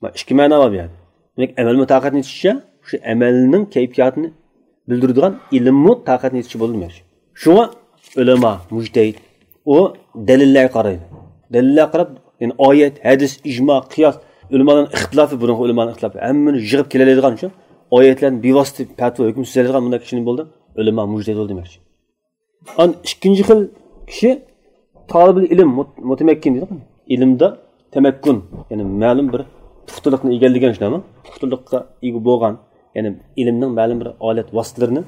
ما، ئىككى مەنا بار بۇ يەردە. دېمەك، ئەمەلمۇ تاقەتنى يېتىشىچە، شۇ ئەمەلنىڭ كەيپىياتىنى بىلدۈرىدىغان ئىلىممۇ تاقەتنى يېتىشىچە بولىدۇ دېمەكچى. شۇڭا ئۆلەما، مۇجتەھىد، ئۇ دەلىللەرگە قارايدۇ. دەلىللەرگە قاراپ، يەنى ئايەت، ھەدىس، ئىجما، قىياس، ئۆلىمالارنىڭ ئىختىلاپى، بۇرۇنقى ئۆلىمالارنىڭ ئىختىلاپى، ھەممىنى يىغىپ كېلەلەيدىغان شۇ ئايەتلەرنى بىۋاسىتە پەتىۋا ھۆكۈم سۆزلەيدىغان بۇنداق كىشىنى بولدى ئۆلىما، مۇجتەھىد بولدى دېمەكچى. ئان ئىككىنچى خىل كىشى تالىبىل ئىلىم، مۇت-، مۇتەمەككىن دەيدۇ. ئىلىمدا تەمەككۇن، يەنى مەلۇم بىر پۇختىلىقنى ئىگىلىگەن شۇنداقمۇ؟ پۇختىلىققا ئىگە بولغان، يەنى ئىلىمنىڭ مەلۇم بىر ئالەت ۋاسىتىلىرىنى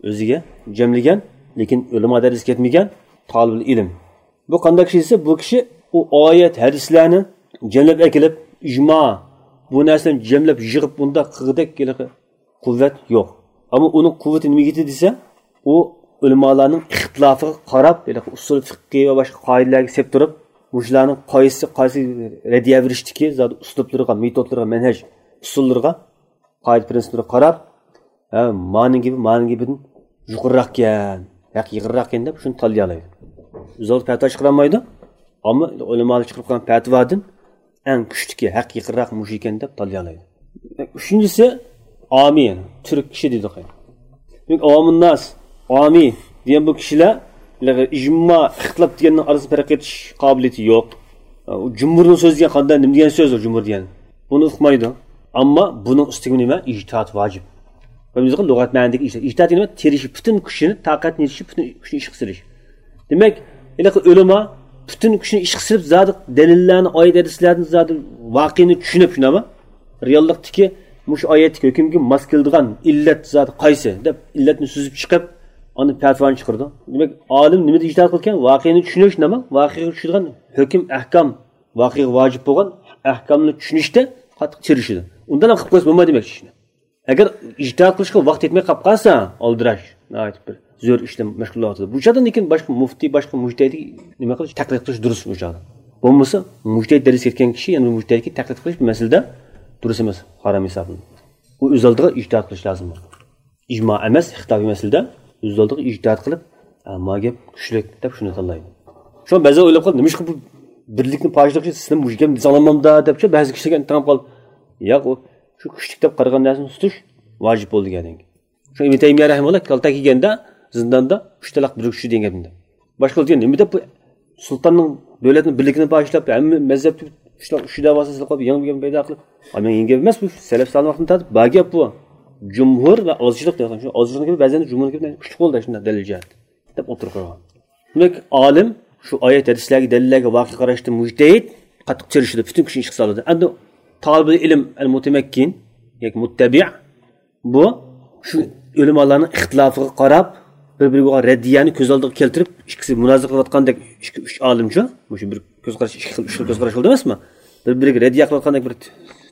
ئۆزىگە جەملىگەن، لېكىن ئۆلىما دەرىجىسىگە يەتمىگەن تالىبىل ئىلىم. بۇ قانداق كىشى دېسە، بۇ كىشى ئۇ ئايەت، ھەدىسلەرنى جەملەپ ئەكېلىپ، ئىجما، بۇ نەرسىلەرنى جەملەپ يىغىپ، بۇنداق قىلغۇدەك ھېلىقى قۇۋۋەت يوق. ئەمما ئۇنىڭ قۇۋۋىتى نېمىگە يېتىدۇ دېسە، ئۇ ئۆلىمالارنىڭ ئىختىلاپىغا قاراپ، ھېلىقى ئۇسۇل فىقھى ۋە باشقا قائىدىلەرگە سېلىپ تۇرۇپ، مۇشۇلارنىڭ قايسى، قايسى رەددىيە بېرىشتىكى زادى ئۇسلۇبلىرىغا، مېتودلىرىغا، مەنھەج ئۇسۇللىرىغا، قائىدە پىرىنسىپلىرىغا قاراپ، ھە، مانىڭ گېپى، مانىڭ گېپىدىن يۇقىرىراقكەن، ھەق يېقىنراقكەن دەپ شۇنى تاللىيالايدۇ. ئۆزى ئالدى پەتىۋا چىقىرالمايدۇ. ئەمما ئۆلىمالار چىقىرىپ قويغان پەتىۋادىن ئەڭ كۈچلۈكى، ھەق يېقىنراق مۇشۇ ئىكەن دەپ تاللىيالايدۇ. ئۈچىنچىسى، ئامىي، تۈرك كىشى دېدۇق. دېمەك، ئاۋامۇنناس، ئامىي دېگەن بۇ كىشىلەر ئىجما، ئىختىلاپ دېگەننىڭ ئارىسىدا پەرق ئېتىش قابىلىيىتى يوق. ئۇ جۇمھۇرنىڭ سۆزى دېگەن قانداق، نېمە دېگەن سۆز ئۇ جۇمھۇر دېگەن؟ بۇنى ئۇقمايدۇ. ئەمما بۇنىڭ ئۈستىگە نېمە؟ ئىجتىھاد ۋاجىپ. بىلىمىزغا لۇغەت مەنىدىكى ئىجتىھاد. ئىجتىھاد دېگەن نېمە؟ تىرىشىش، پۈتۈن كۈچىنى، تاقەتنى يېتىشىپ، پۈتۈن كۈچىنى ئىشقا سېلىش. دېمەك، ھېلىقى ئۆلىما پۈتۈن كۈچىنى ئىشقا سېلىپ، زادى دەلىللەرنى، ئايەت ھەدىسلەرنى، زادى ۋەقەنى چۈشىنىپ، شۇنداقمۇ؟ رېئاللىقتىكى مۇشۇ ئايەتتىكى ھۆكۈمگە ماس كېلىدىغان ئىللەت زادى قايسى دەپ، ئىللەتنى سۈزۈپ چىقىپ، ئاندىن پەتىۋانى چىقىرىدۇ. دېمەك، ئالىم نېمىدە ئىجتىھاد قىلىدىكەن؟ ۋەقەنى چۈشىنىش، شۇنداقمۇ؟ ۋەقەگە چۈشىدىغان ھۆكۈم، ئەھكام، ۋەقەگە ۋاجىپ بولغان ئەھكامنى چۈشىنىشتە قاتتىق تىرىشىدۇ. ئۇنداق قىلىپ قويسا بولمايدۇ دېمەكچى ئىشنى. ئەگەر ئىجتىھاد قىلىشقا ۋاقىت يەتمەي قېلىپ قالسا، ئالدىراش، ناھايىتى بىر زۆرۈر ئىش بىلەن مەشغۇل بولۇۋاتىدۇ. بۇ چاغدا لېكىن باشقا مۇفتى، باشقا مۇجتەھىدكە نېمە قىلىش، تەقلىد قىلىش دۇرۇس بۇ چاغدا. بولمىسا، مۇجتەھىد دەرىجىسىگە يەتكەن كىشى يەنە بىر مۇجتەھىدكە تەقلىد قىلىش بۇ مەسىلىدە دۇرۇس ئەمەس، ھارام ھېسابلىنىدۇ. ئۇ ئۆز ئالدىغا ئىجتىھاد قىلىش لازىم. ئىجما ئەمەس، ئىختىلاپىي مەسىلىدە ئۆز ئالدىغا ئىجتىھاد قىلىپ، ھە، ما گەپ كۈچلۈك دەپ شۇنى تاللايدۇ. شۇڭا بەزىلەر ئويلاپ قالىدۇ، نېمىشقا بۇ بىرلىكنى پاش قىلىش، سىلەر مۇشۇ گەپنى دېسەڭلارمامدا دەپچۇ، بەزى كىشىلەرگە تېڭىپ قال. ياق، ئۇ شۇ كۈچلۈك دەپ قارىغان نەرسىنى تۇتۇش ۋاجىپ بولدى دېگەندىن كېيىن. شۇ ئىبن تەيمىيە رەھىمەھۇللا كالتە كىيگەندە زىنداندا ئۈچ تالاق بىر كۈچلۈك دېگەن گەپنى. باشقىلار دېگەن نېمە دەپ بۇ سۇلتاننىڭ دۆلەتنىڭ بىرلىكىنى پاش ئېتىپ، ھەممە مەزھەپتە ئۈچ تالاق، ئۈچ دەۋاسىنى سېلىپ قويۇپ، يېڭى بىر گەپ پەيدا قىلىپ، ئا، مېنىڭ يېڭى گەپ ئەمەس بۇ، سەلەف سالىھ ۋاقتىدىن تارتىپ بار گەپ بۇ. جۇمھۇر ۋە ئازچىلىق دېگەن شۇ ئازچىلىق گېپى بەزەن جۇمھۇر گېپىدىن كۈچلۈك بولدى شۇنداق دەلىل جەھەتتە دەپ ئوتتۇرىغا قويغان. دېمەك، ئالىم شۇ ئايەت ھەدىسلەرگە، دەلىللەرگە، ۋاقىئىگە قاراشتا مۇجتەھىد قاتتىق تىرىشىدۇ، پۈتۈن كۈچىنى ئىشقا سالىدۇ. ئەمدى تالىبىل ئىلىم ئەل مۇتەمەككىن ياكى مۇتتەبىئ، بۇ شۇ ئۆلىمالارنىڭ ئىختىلاپىغا قاراپ، بىر-بىرىگە بولغان رەددىيەنى كۆز ئالدىغا كەلتۈرۈپ، ئىككىسى مۇنازىرە قىلىۋاتقاندەك ئىككى، ئۈچ ئالىمچۇ؟ مۇشۇ بىر كۆز قاراش، ئىككى خىل، ئۈچ خىل كۆز قاراش بولدى ئەمەسمۇ؟ بىر-بىرىگە رەددىيە قىلىۋاتقاندەك بىر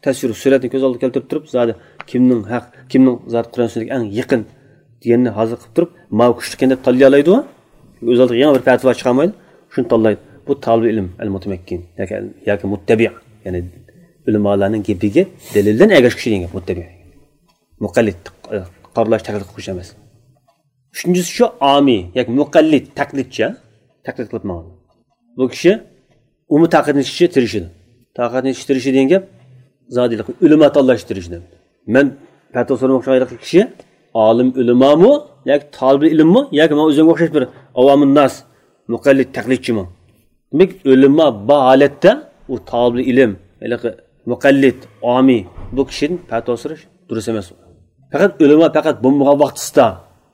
تەسۋىر، سۈرەتنى كۆز ئالدىغا كەلتۈرۈپ تۇرۇپ، زادى كىمنىڭ ھەق، كىمنىڭ زادى قۇرئان سۈننەتكە ئەڭ يېقىن دېگەننى ھازىر قىلىپ تۇرۇپ، ماۋۇ كۈچلۈككەن دەپ تاللىيالايدۇ. ئۆزى ئالدىغا يېڭى بىر پەتىۋا چىقارمايدۇ. شۇنى تاللايدۇ. بۇ تالىبىل ئىلىم، ئەل مۇتەمەككىن ياكى، ياكى مۇتتەبىئ، يەنى ئۆلىمالارنىڭ گېپىگە دەلىل بىلەن ئەگەشكۈچى دېگەن گەپ مۇتتەبىئ. مۇقەللىد، قارىلاش، تەقلىد قىلغۇچى ئەمەس. ئۈچىنچىسى شۇ ئامىي ياكى مۇقەللىد، تەقلىدچى، تەقلىد قىلىپ ماڭغان. بۇ كىشى ئۇمۇ تاقەتنى يېتىشكە تىرىشىدۇ. تاقەتنى يېتىشكە تىرىشىدۇ دېگەن گەپ زادى ئۆلىما تاللاشقا تىرىشىدۇ. مەن پەتىۋا سورىماقچى بولغان كىشى ئالىم ئۆلىمامۇ ياكى تالىبى ئىلىممۇ ياكى ماڭا ئۆزۈمگە ئوخشاش بىر ئاۋامىنناس، مۇقەللىد، تەقلىدچىمۇ؟ دېمەك، ئۆلىما بار ھالەتتە ئۇ تالىبى ئىلىم، ھېلىقى مۇقەللىد، ئامىي بۇ كىشىدىن پەتىۋا سوراش دۇرۇس ئەمەس. پەقەت ئۆلىما پەقەت بولمىغان ۋاقتىسىدا،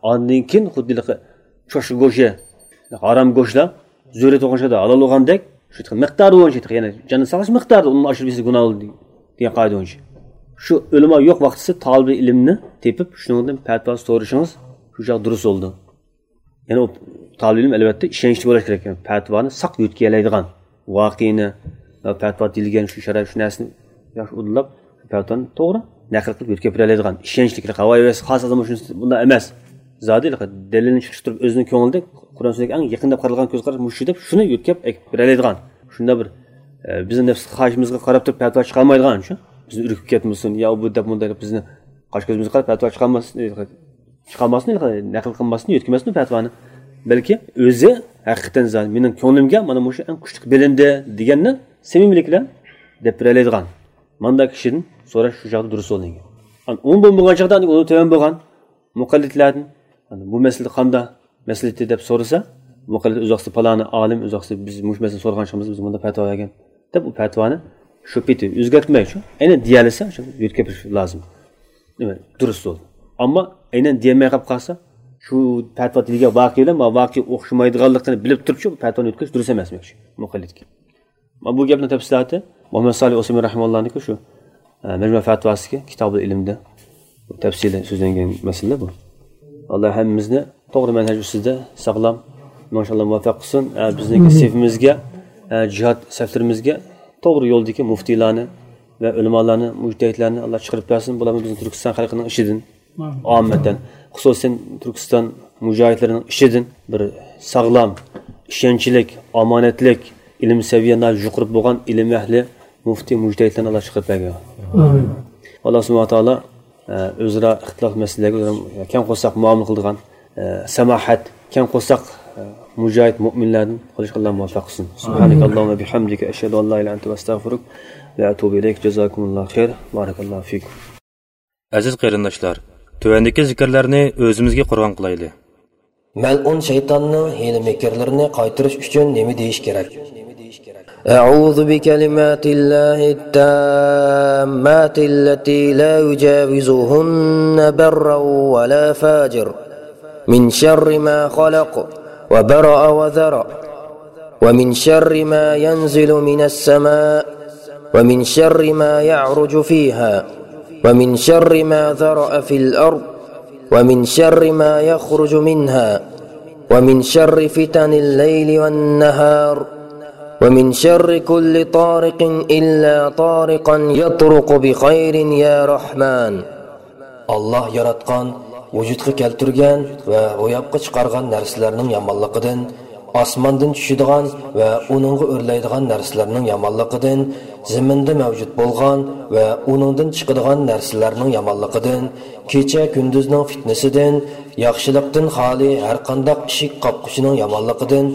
ئاندىن كېيىن خۇددى ھېلىقى چوشقا گۆشى، ھارام گۆشلەر زۆرۈرىيەت بولغان چاغدا ھالال بولغاندەك، شۇ مىقدارى بويىچە، يەنى جاننى ساقلاش مىقدارىدا ئۇنىڭ ئاشۇرۇپ يېسە گۇناھ بولىدۇ دېگەن قائىدە بويىچە. شۇ ئۆلىما يوق ۋاقتىسى تالىبى ئىلىمنى تېپىپ، شۇنىڭدىن پەتىۋا سورىشىڭىز شۇ چاغ دۇرۇس بولىدۇ. يەنى ئۇ تالىبى ئىلىم، ئەلۋەتتە، ئىشەنچلىك بولۇش كېرەك. پەتىۋانى ساق يۆتكىيەلەيدىغان، ۋاقىئنى، پەتىۋا دېيىلگەن شۇ شەرەپ، شۇ نەرسىنى ياخشى ئۇدۇللاپ، پەتىۋانى توغرا نەقىل قىلىپ يۆتكەپ بېرەلەيدىغان، ئىشەنچلىك، ھاۋايى ۋەس خاس ئادەم شۇنداق ئەمەس. زادى دەلىلنى چىقىشتۇرۇپ، ئۆزىنىڭ كۆڭلىدە قۇرئان سۈننەتكە ئەڭ يېقىن دەپ قارالغان كۆز قاراش مۇشۇ دەپ، شۇنى يۆتكەپ ئەكىپ بېرەلەيدىغان، شۇنداق بىر، ئە، بىزنىڭ نەپس خاھىشىمىزغا قاراپ تۇرۇپ پەتىۋا چىقارمايدىغان، شۇ بىزنى ئۈركۈپ كەتمىسۇن، يا بۇ دەپ مۇنداق دەپ بىزنى قاش كۆزىمىزگە قاراپ پەتىۋا چىقارماس-، چىقارماسمۇ، نەقىل قىلماسمۇ، يۆتكىمەسمۇ پەتىۋانى. بەلكى ئۆزى ھەقىقەتەن زادى مېنىڭ كۆڭلۈمگە مانا مۇشۇ ئەڭ كۈچلۈك بىلىندى دېگەننى سەمىمىيلىك بىلەن دەپ بېرەلەيدىغان، مانداق كىشىدىن سوراش شۇ چاغدا دۇرۇس بولىدىكەن. ئۇمۇ بولمىغان چاغدا ئۇنىڭ تۆۋەن بولغان مۇقەللىدلەردىن، بۇ مەسىلىدە قانداق مەسلىھىتى دەپ سورىسا، مۇقەللىد ئۆز ۋاقتىدا پالانى ئالىم، ئۆز ۋاقتىدا بىز مۇشۇ مەسىلىنى سورىغان چېغىمىزدا بىز مۇنداق پەتىۋا بەرگەن دەپ، ئۇ پەتىۋانى شۇ پېتى ئۆزگەرتمەي، شۇ ئەينەن دېيەلىسە، شۇ يۆتكەپ لازىم. دېمەك، دۇرۇس بولدى. ئەمما ئەينەن دېيەلمەي قاپ قالسا، شۇ پەتىۋا دېيىلگەن ۋاقىئە بىلەن ما ۋاقىئە ئوخشىمايدىغانلىقىنى بىلىپ تۇرۇپ، شۇ پەتىۋانى يۆتكەش دۇرۇس ئەمەس دېمەكچى مۇقەللىدكە. مانا بۇ گەپنىڭ تەپسىلاتى مۇھەممەد سالىھ ئۇسەيمىن رەھىمەھۇللانىڭكى شۇ، ئە، مەجمۇ پەتىۋاسىدىكى كىتابۇل ئىلىمدە تەپسىلىي سۆزلەنگەن مەسىلە بۇ. ئاللا ھەممىمىزنى توغرا مەنھەج ئۈستىدە ساغلام، ماشائاللا، مۇۋەپپەق قىلسۇن. ئە، بىزنىڭكى سېفىمىزگە، ئە، جىھاد سەپلىرىمىزگە توغرا يولدىكى مۇفتىيلارنى ۋە ئۆلىمالارنى، مۇجتەھىدلەرنى ئاللا چىقىرىپ بەرسۇن. بۇلارمۇ بىزنىڭ تۈركىستان خەلقىنىڭ ئىچىدىن ئاممەتەن، خۇسۇسەن تۈركىستان مۇجاھىدلىرىنىڭ ئىچىدىن بىر ساغلام، ئىشەنچلىك، ئامانەتلىك، ئىلىم سەۋىيە ناھايىتى يۇقىرى بولغان ئىلىم ئەھلى، مۇفتى، مۇجتەھىدلەرنى ئاللا چىقىرىپ بەرگەي. ئامىن. ئاللا سۇبھانەھۇ ۋە تائالا، ئە، ئۆزئارا ئىختىلاپ مەسىلىلەرگە ئۆزئارا كەڭ قورساق مۇئامىلە قىلىدىغان، ئە، ساماھەت، كەڭ قورساق، ئە، مۇجاھىد مۆمىنلەردىن قىلىشقا ئاللا مۇۋەپپەق قىلسۇن. سۇبھانەكاللاھۇممە بىھەمدىكە، ئەشھەدۇ ئەن لا ئىلاھە ئىللا ئەنتە، ئەستەغفىرۇك ۋە ئەتۇبۇ ئىلەيك. جازاكۇمۇللاھۇ خەير. بارەكاللاھۇ فىكۇم. ئەزىز قېرىنداشلار، تۆۋەندىكى زىكىرلەرنى ئۆزىمىزگە قۇربان قىلايلى. مەلئۇن شەيتاننىڭ ھىيلە-مىكىرلىرىنى قايتۇرۇش ئۈچۈن نېمە دېيىش كېرەك؟ أعوذ بكلمات الله التامات التي لا يجاوزهن بر ولا فاجر، من شر ما خلق وبرأ وذرأ، ومن شر ما ينزل من السماء، ومن شر ما يعرج فيها، ومن شر ما ذرأ في الأرض، ومن شر ما يخرج منها، ومن شر فتن الليل والنهار، ومن شر كل طارق إلا طارقا يطرق بخير يا رحمن. ئاللاھ ياراتقان، ۋۇجۇدقا كەلتۈرگەن ۋە روياپقا چىقارغان نەرسىلەرنىڭ يامانلىقىدىن، ئاسماندىن چۈشىدىغان ۋە ئۇنىڭغا ئۆرلەيدىغان نەرسىلەرنىڭ يامانلىقىدىن، زېمىندا مەۋجۇت بولغان ۋە ئۇنىڭدىن چىقىدىغان نەرسىلەرنىڭ يامانلىقىدىن، كېچە-كۈندۈزنىڭ پىتنىسىدىن، ياخشىلىقتىن خالىي ھەرقانداق ئىشىك قاققۇچىنىڭ يامانلىقىدىن،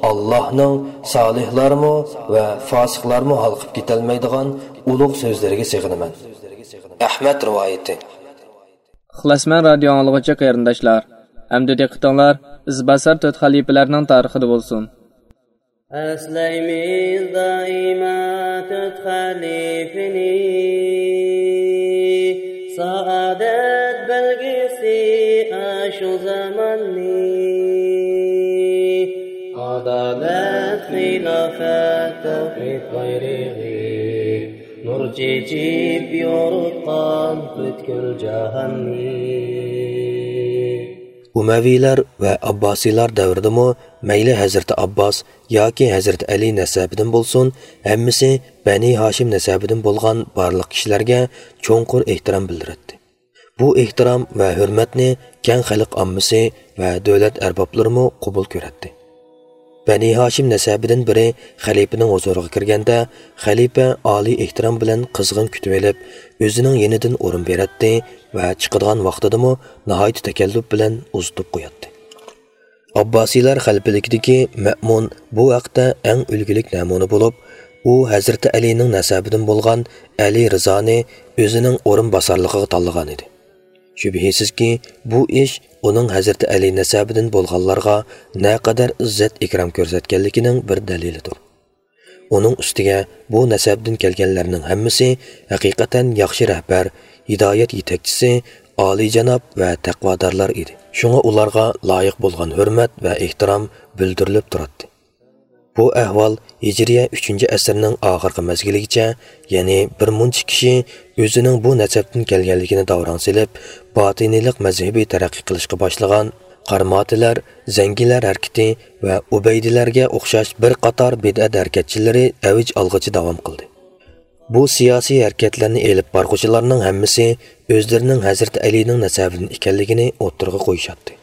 ئاللاھنىڭ سالىھلارمۇ ۋە فاسىقلارمۇ ھالقىپ كېتەلمەيدىغان ئۇلۇغ سۆزلىرىگە سېغىنىمەن. ئەھمەد رىۋايىتى. ئىخلاسمەن رادىيو ئاڭلىغۇچى قېرىنداشلار، ئەمدى دىققىتىڭلار ئىزباسار تۆت خەلىپىلەرنىڭ تارىخىدا بولسۇن. ئەسلەيمىز دائىما تۆت خەلىپىنى، سائادەت بەلگىسى ئاشۇ زاماننى. ئادالەت، خىلاپەت، تەۋھىد بايرىقى، نۇر چېچىپ يورۇتقان پۈتكۈل جاھاننى. ئۇمەۋىيلەر ۋە ئابباسىيلار دەۋرىدىمۇ مەيلى ھەزرىتى ئابباس ياكى ھەزرىتى ئەلى نەسەبىدىن بولسۇن، ھەممىسى بەنى ھاشىم نەسەبىدىن بولغان بارلىق كىشىلەرگە چوڭقۇر ئېھتىرام بىلدۈرەتتى. بۇ ئېھتىرام ۋە ھۆرمەتنى كەڭ خەلق ئاممىسى ۋە دۆلەت ئەربابلىرىمۇ قوبۇل كۆرەتتى. بەنى ھاشىم نەسەبىدىن بىرى خەلىپىنىڭ ھۇزۇرىغا كىرگەندە، خەلىپە ئالىي ئېھتىرام بىلەن قىزغىن كۈتۈۋېلىپ، ئۆزىنىڭ يېنىدىن ئورۇن بېرەتتى ۋە چىقىدىغان ۋاقتىدىمۇ ناھايىتى تەكەللۇپ بىلەن ئۇزىتىپ قوياتتى. ئابباسىيلار خەلىپىلىكىدىكى مەئمۇن بۇ ھەقتە ئەڭ ئۈلگىلىك نەمۇنە بولۇپ، ئۇ ھەزرىتى ئەلىنىڭ نەسەبىدىن بولغان ئەلى رىزانى ئۆزىنىڭ ئورۇنباسارلىقىغا تاللىغان ئىدى. شۈبھىسىزكى، بۇ ئىش ئۇنىڭ ھەزرىتى ئەلى نەسەبىدىن بولغانلارغا نەقەدەر ئىززەت ئىكرام كۆرسەتكەنلىكىنىڭ بىر دەلىلىدۇر. ئۇنىڭ ئۈستىگە بۇ نەسەبتىن كەلگەنلەرنىڭ ھەممىسى ھەقىقەتەن ياخشى رەھبەر، ھىدايەت يېتەكچىسى، ئالىيجاناب ۋە تەقۋادارلار ئىدى. شۇڭا ئۇلارغا لايىق بولغان ھۆرمەت ۋە ئېھتىرام بىلدۈرۈلۈپ تۇراتتى. بۇ ئەھۋال ھىجرىيە ئۈچىنچى ئەسىرنىڭ ئاخىرقى مەزگىلىگىچە، يەنى بىر مۇنچە كىشى ئۆزىنىڭ بۇ نەسەبتىن كەلگەنلىكىنى داۋراڭ سېلىپ، باتىنىيلىق مەزھىپى تەرەققىي قىلىشقا باشلىغان، قارماتىلەر، زەڭگىلەر ھەرىكىتى ۋە ئۇبەيدىلەرگە ئوخشاش بىر قاتار بىدئەت ھەرىكەتچىلىرى ئەۋج ئالغىچە داۋام قىلدى. بۇ سىياسىي ھەرىكەتلەرنى ئېلىپ بارغۇچىلارنىڭ ھەممىسى ئۆزلىرىنىڭ ھەزرىتى ئەلىنىڭ نەسەبىدىن ئىكەنلىكىنى ئوتتۇرىغا قويۇشاتتى.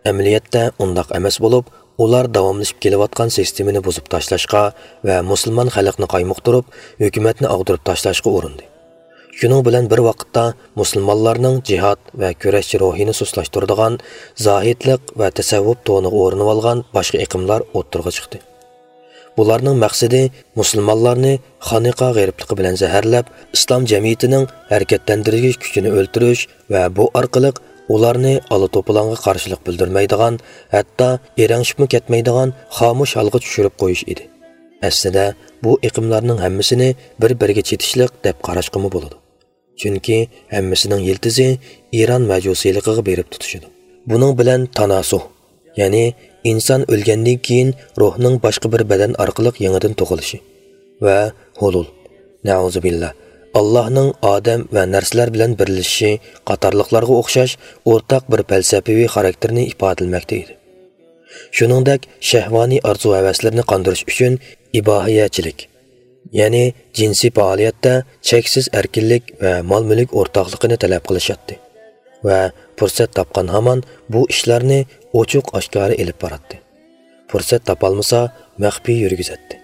ئەمەلىيەتتە ئۇنداق ئەمەس بولۇپ، ئۇلار داۋاملىشىپ كېلىۋاتقان سىستېمىنى بۇزۇپ تاشلاشقا ۋە مۇسۇلمان خەلقنى قايمۇقتۇرۇپ، ھۆكۈمەتنى ئاغدۇرۇپ تاشلاشقا ئۇرۇندى. شۇنىڭ بىلەن بىر ۋاقىتتا، مۇسۇلمانلارنىڭ جىھاد ۋە كۈرەشچى روھىنى سۇسلاشتۇرىدىغان، زاھىدلىق ۋە تەسەۋۋۇپ تونىغا ئورىنىۋالغان باشقا ئېقىملار ئوتتۇرىغا چىقتى. بۇلارنىڭ مەقسىتى مۇسۇلمانلارنى خانىقا غېرىبلىقى بىلەن زەھەرلەپ، ئىسلام جەمئىيىتىنىڭ ھەرىكەتلەندۈرگۈچ كۈچىنى ئۆلتۈرۈش ۋە بۇ ئارقىلىق ئۇلارنى ئالا توپىلاڭغا قارشىلىق بىلدۈرمەيدىغان، ھەتتا ئېرەڭشىپمۇ كەتمەيدىغان خامۇش ھالغا چۈشۈرۈپ قويۇش ئىدى. ئەسلىدە، بۇ ئېقىملارنىڭ ھەممىسىنى بىر-بىرىگە چېتىشلىق دەپ قاراشقىمۇ بولىدۇ. چۈنكى ھەممىسىنىڭ يىلتىزى ئىران مەجۇسىيلىقىغا بېرىپ تۇتىشىدۇ. بۇنىڭ بىلەن تاناسۇھ، يەنى ئىنسان ئۆلگەندىن كېيىن روھنىڭ باشقا بىر بەدەن ئارقىلىق يېڭىدىن تۇغۇلۇشى ۋە ھۇلۇل، نەئۇزۇبىللا، ئاللاھنىڭ ئادەم ۋە نەرسىلەر بىلەن بىرلىشىشى قاتارلىقلارغا ئوخشاش ئورتاق بىر پەلسەپىۋى خاراكتېرنى ئىپادىلىمەكتە ئىدى. شۇنىڭدەك شەھۋانىي ئارزۇ-ھەۋەسلىرىنى قاندۇرۇش ئۈچۈن ئىباھىيەچىلىك، يەنى جىنسىي پائالىيەتتە چەكسىز ئەركىنلىك ۋە مال-مۈلۈك ئورتاقلىقىنى تەلەپ قىلىشاتتى ۋە پۇرسەت تاپقان ھامان بۇ ئىشلارنى ئوچۇق-ئاشكارا ئېلىپ باراتتى. پۇرسەت تاپالمىسا، مەخپىي يۈرگۈزەتتى.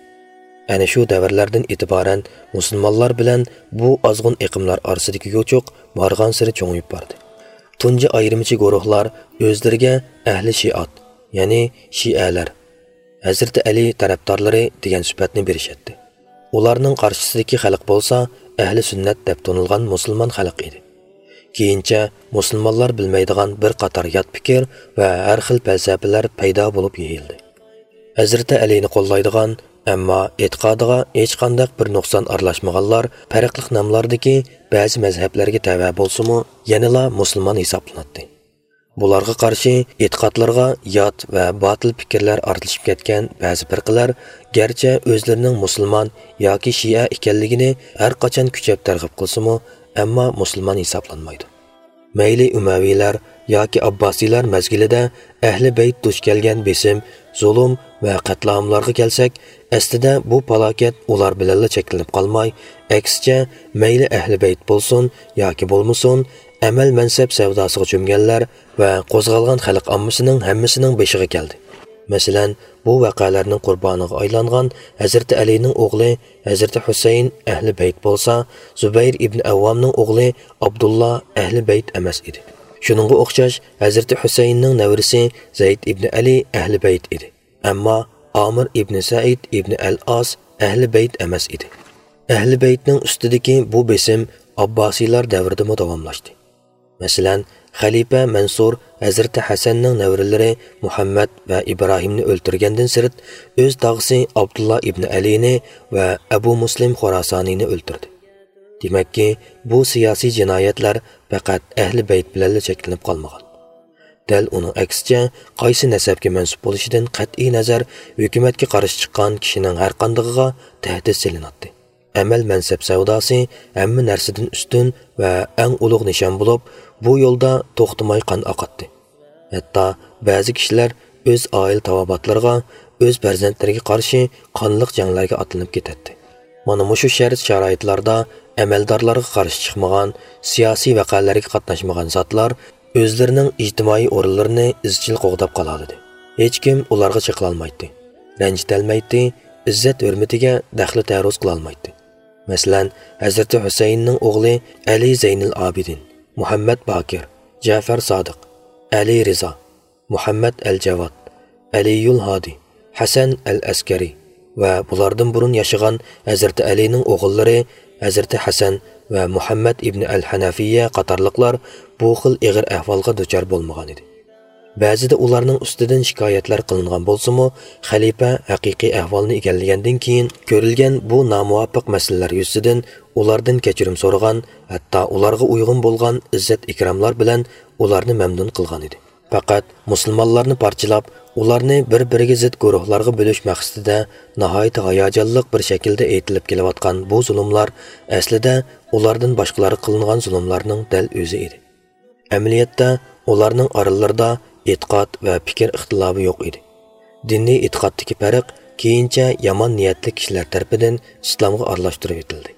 ئەنە شۇ دەۋرلەردىن ئېتىبارەن مۇسۇلمانلار بىلەن بۇ ئازغۇن ئېقىملار ئارىسىدىكى يوچۇق بارغانسېرى چوڭىيىپ باردى. تۇنجى ئايرىمچى گۇرۇھلار ئۆزلىرىگە ئەھلى شىئات، يەنى شىئەلەر، ھەزرىتى ئەلى تەرەپدارلىرى دېگەن سۈپەتنى بېرىشەتتى. ئۇلارنىڭ قارشىسىدىكى خەلق بولسا ئەھلى سۈننەت دەپ تونۇلغان مۇسۇلمان خەلق ئىدى. كېيىنچە مۇسۇلمانلار بىلمەيدىغان بىر قاتار يات پىكىر ۋە ھەر خىل پەلسەپىلەر پەيدا بولۇپ يېيىلدى. ھەزرىتى ئەلىنى قوللايدىغان، ئەمما ئېتىقادىغا ھېچقانداق بىر نۇقسان ئارىلاشمىغانلار پەرقلىق ناملاردىكى بەزى مەزھەپلەرگە تەۋە بولسىمۇ، يەنىلا مۇسۇلمان ھېسابلىناتتى. بۇلارغا قارشى ئېتىقادلىرىغا يات ۋە باتىل پىكىرلەر ئارىلىشىپ كەتكەن بەزى پىرقىلەر گەرچە ئۆزلىرىنىڭ مۇسۇلمان ياكى شىئە ئىكەنلىكىنى ھەر قاچان كۈچەپ تەرغىب قىلسىمۇ، ئەمما مۇسۇلمان ھېسابلانمايدۇ. مەيلى ئۇمەۋىيلەر ياكى ئابباسىيلار مەزگىلىدە ئەھلى بەيت دۇچ كەلگەن بېسىم، زۇلۇم ۋە قەتلىئاملارغا كەلسەك، ئەسلىدە بۇ پالاكەت ئۇلار بىلەنلا چەكلىنىپ قالماي، ئەكسىچە، مەيلى ئەھلى بەيت بولسۇن ياكى بولمىسۇن، ئەمەل-مەنسەپ سەۋداسىغا چۆمگەنلەر ۋە قوزغالغان خەلق ئاممىسىنىڭ ھەممىسىنىڭ بېشىغا كەلدى. مەسىلەن، بۇ ۋەقەلەرنىڭ قۇربانىغا ئايلانغان ھەزرىتى ئەلىنىڭ ئوغلى ھەزرىتى ھۈسەيىن ئەھلى بەيت بولسا، زۇبەير ئىبن ئەۋۋامنىڭ ئوغلى ئابدۇللا ئەھلى بەيت ئەمەس ئىدى. شۇنىڭغا ئوخشاش، ھەزرىتى ھۈسەيىننىڭ نەۋرىسى زەيد ئىبن ئەلى ئەھلى بەيت ئىدى. ئەمما ئامىر ئىبنى سەئىد ئىبنى ئەل ئاس ئەھلى بەيت ئەمەس ئىدى. ئەھلى بەيتنىڭ ئۈستىدىكى بۇ بېسىم ئابباسىيلار دەۋرىدىمۇ داۋاملاشتى. مەسىلەن، خەلىپە مەنسۇر ھەزرىتى ھەسەننىڭ نەۋرىلىرى مۇھەممەد ۋە ئىبراھىمنى ئۆلتۈرگەندىن سىرت، ئۆز تاغىسى ئابدۇللا ئىبنى ئەلىنى ۋە ئەبۇ مۇسلىم خوراسانىينى ئۆلتۈردى. دېمەككى، بۇ سىياسىي جىنايەتلەر پەقەت ئەھلى بەيت بىلەنلا چەكلىنىپ قالمىغان. دەل ئۇنىڭ ئەكسىچە، قايسى نەسەبكە مەنسۇپ بولۇشىدىن قەتئىينەزەر، ھۆكۈمەتكە قارشى چىققان كىشىنىڭ ھەرقاندىقىغا تەھدىت سېلىناتتى. ئەمەل مەنسەپ سەۋداسى ھەممە نەرسىدىن ئۈستۈن ۋە ئەڭ ئۇلۇغ نىشان بولۇپ، بۇ يولدا توختىماي قان ئاقاتتى. ھەتتا بەزى كىشىلەر ئۆز ئائىلە تاۋابىئاتلىرىغا، ئۆز پەرزەنتلىرىگە قارشى قانلىق جەڭلەرگە ئاتلىنىپ كېتەتتى. مانا مۇشۇ شەرت-شارائىتلاردا ئەمەلدارلارغا قارشى چىقمىغان، سىياسىي ۋەقەلەرگە قاتناشمىغان زاتلار ئۆزلىرىنىڭ ئىجتىمائىي ئورۇنلىرىنى ئىزچىل قوغداپ قالالىدى. ھېچكىم ئۇلارغا چېقىلالمايتتى، رەنجىتەلمەيتتى، ئىززەت-ھۆرمىتىگە دەخلى-تەرۇز قىلالمايتتى. مەسىلەن، ھەزرىتى ھۈسەيىننىڭ ئوغلى ئەلى زەينىل ئابىدىن، مۇھەممەد باكىر، جەفەر سادىق، ئەلى رىزا، مۇھەممەد ئەل جاۋاد، ئەلىيۇل ھادى، ھەسەن ئەل ئەسكەرى ۋە بۇلاردىن بۇرۇن ياشىغان ھەزرىتى ئەلىنىڭ ئوغۇللىرى ھەزرىتى ھەسەن ۋە مۇھەممەد ئىبنى ئەل ھەنەفىيە قاتارلىقلار بۇ خىل ئېغىر ئەھۋالغا دۇچار بولمىغانىدى. بەزىدە ئۇلارنىڭ ئۈستىدىن شىكايەتلەر قىلىنغان بولسىمۇ، خەلىپە ھەقىقىي ئەھۋالنى ئىگىلىگەندىن كېيىن كۆرۈلگەن بۇ نامۇۋاپىق مەسىلىلەر يۈزىسىدىن ئۇلاردىن كەچۈرۈم سورىغان، ھەتتا ئۇلارغا ئۇيغۇن بولغان ئىززەت-ئىكراملار بىلەن ئۇلارنى مەمنۇن قىلغانىدى. پەقەت مۇسۇلمانلارنى پارچىلاپ، ئۇلارنى بىر-بىرىگە زىت گۇرۇھلارغا بۆلۈش مەقسىتىدە ناھايىتى ھاياجانلىق بىر شەكىلدە ئېيتىلىپ كېلىۋاتقان بۇ زۇلۇملار ئەسلىدە ئۇلاردىن باشقىلارغا قىلىنغان زۇلۇملارنىڭ دەل ئۆزى ئىدى. ئەمەلىيەتتە ئۇلارنىڭ ئارىلىرىدا ئېتىقاد ۋە پىكىر ئىختىلاپى يوق ئىدى. دىنىي ئېتىقادتىكى پەرق كېيىنچە يامان نىيەتلىك كىشىلەر تەرىپىدىن ئىسلامغا ئارىلاشتۇرۇۋېتىلدى.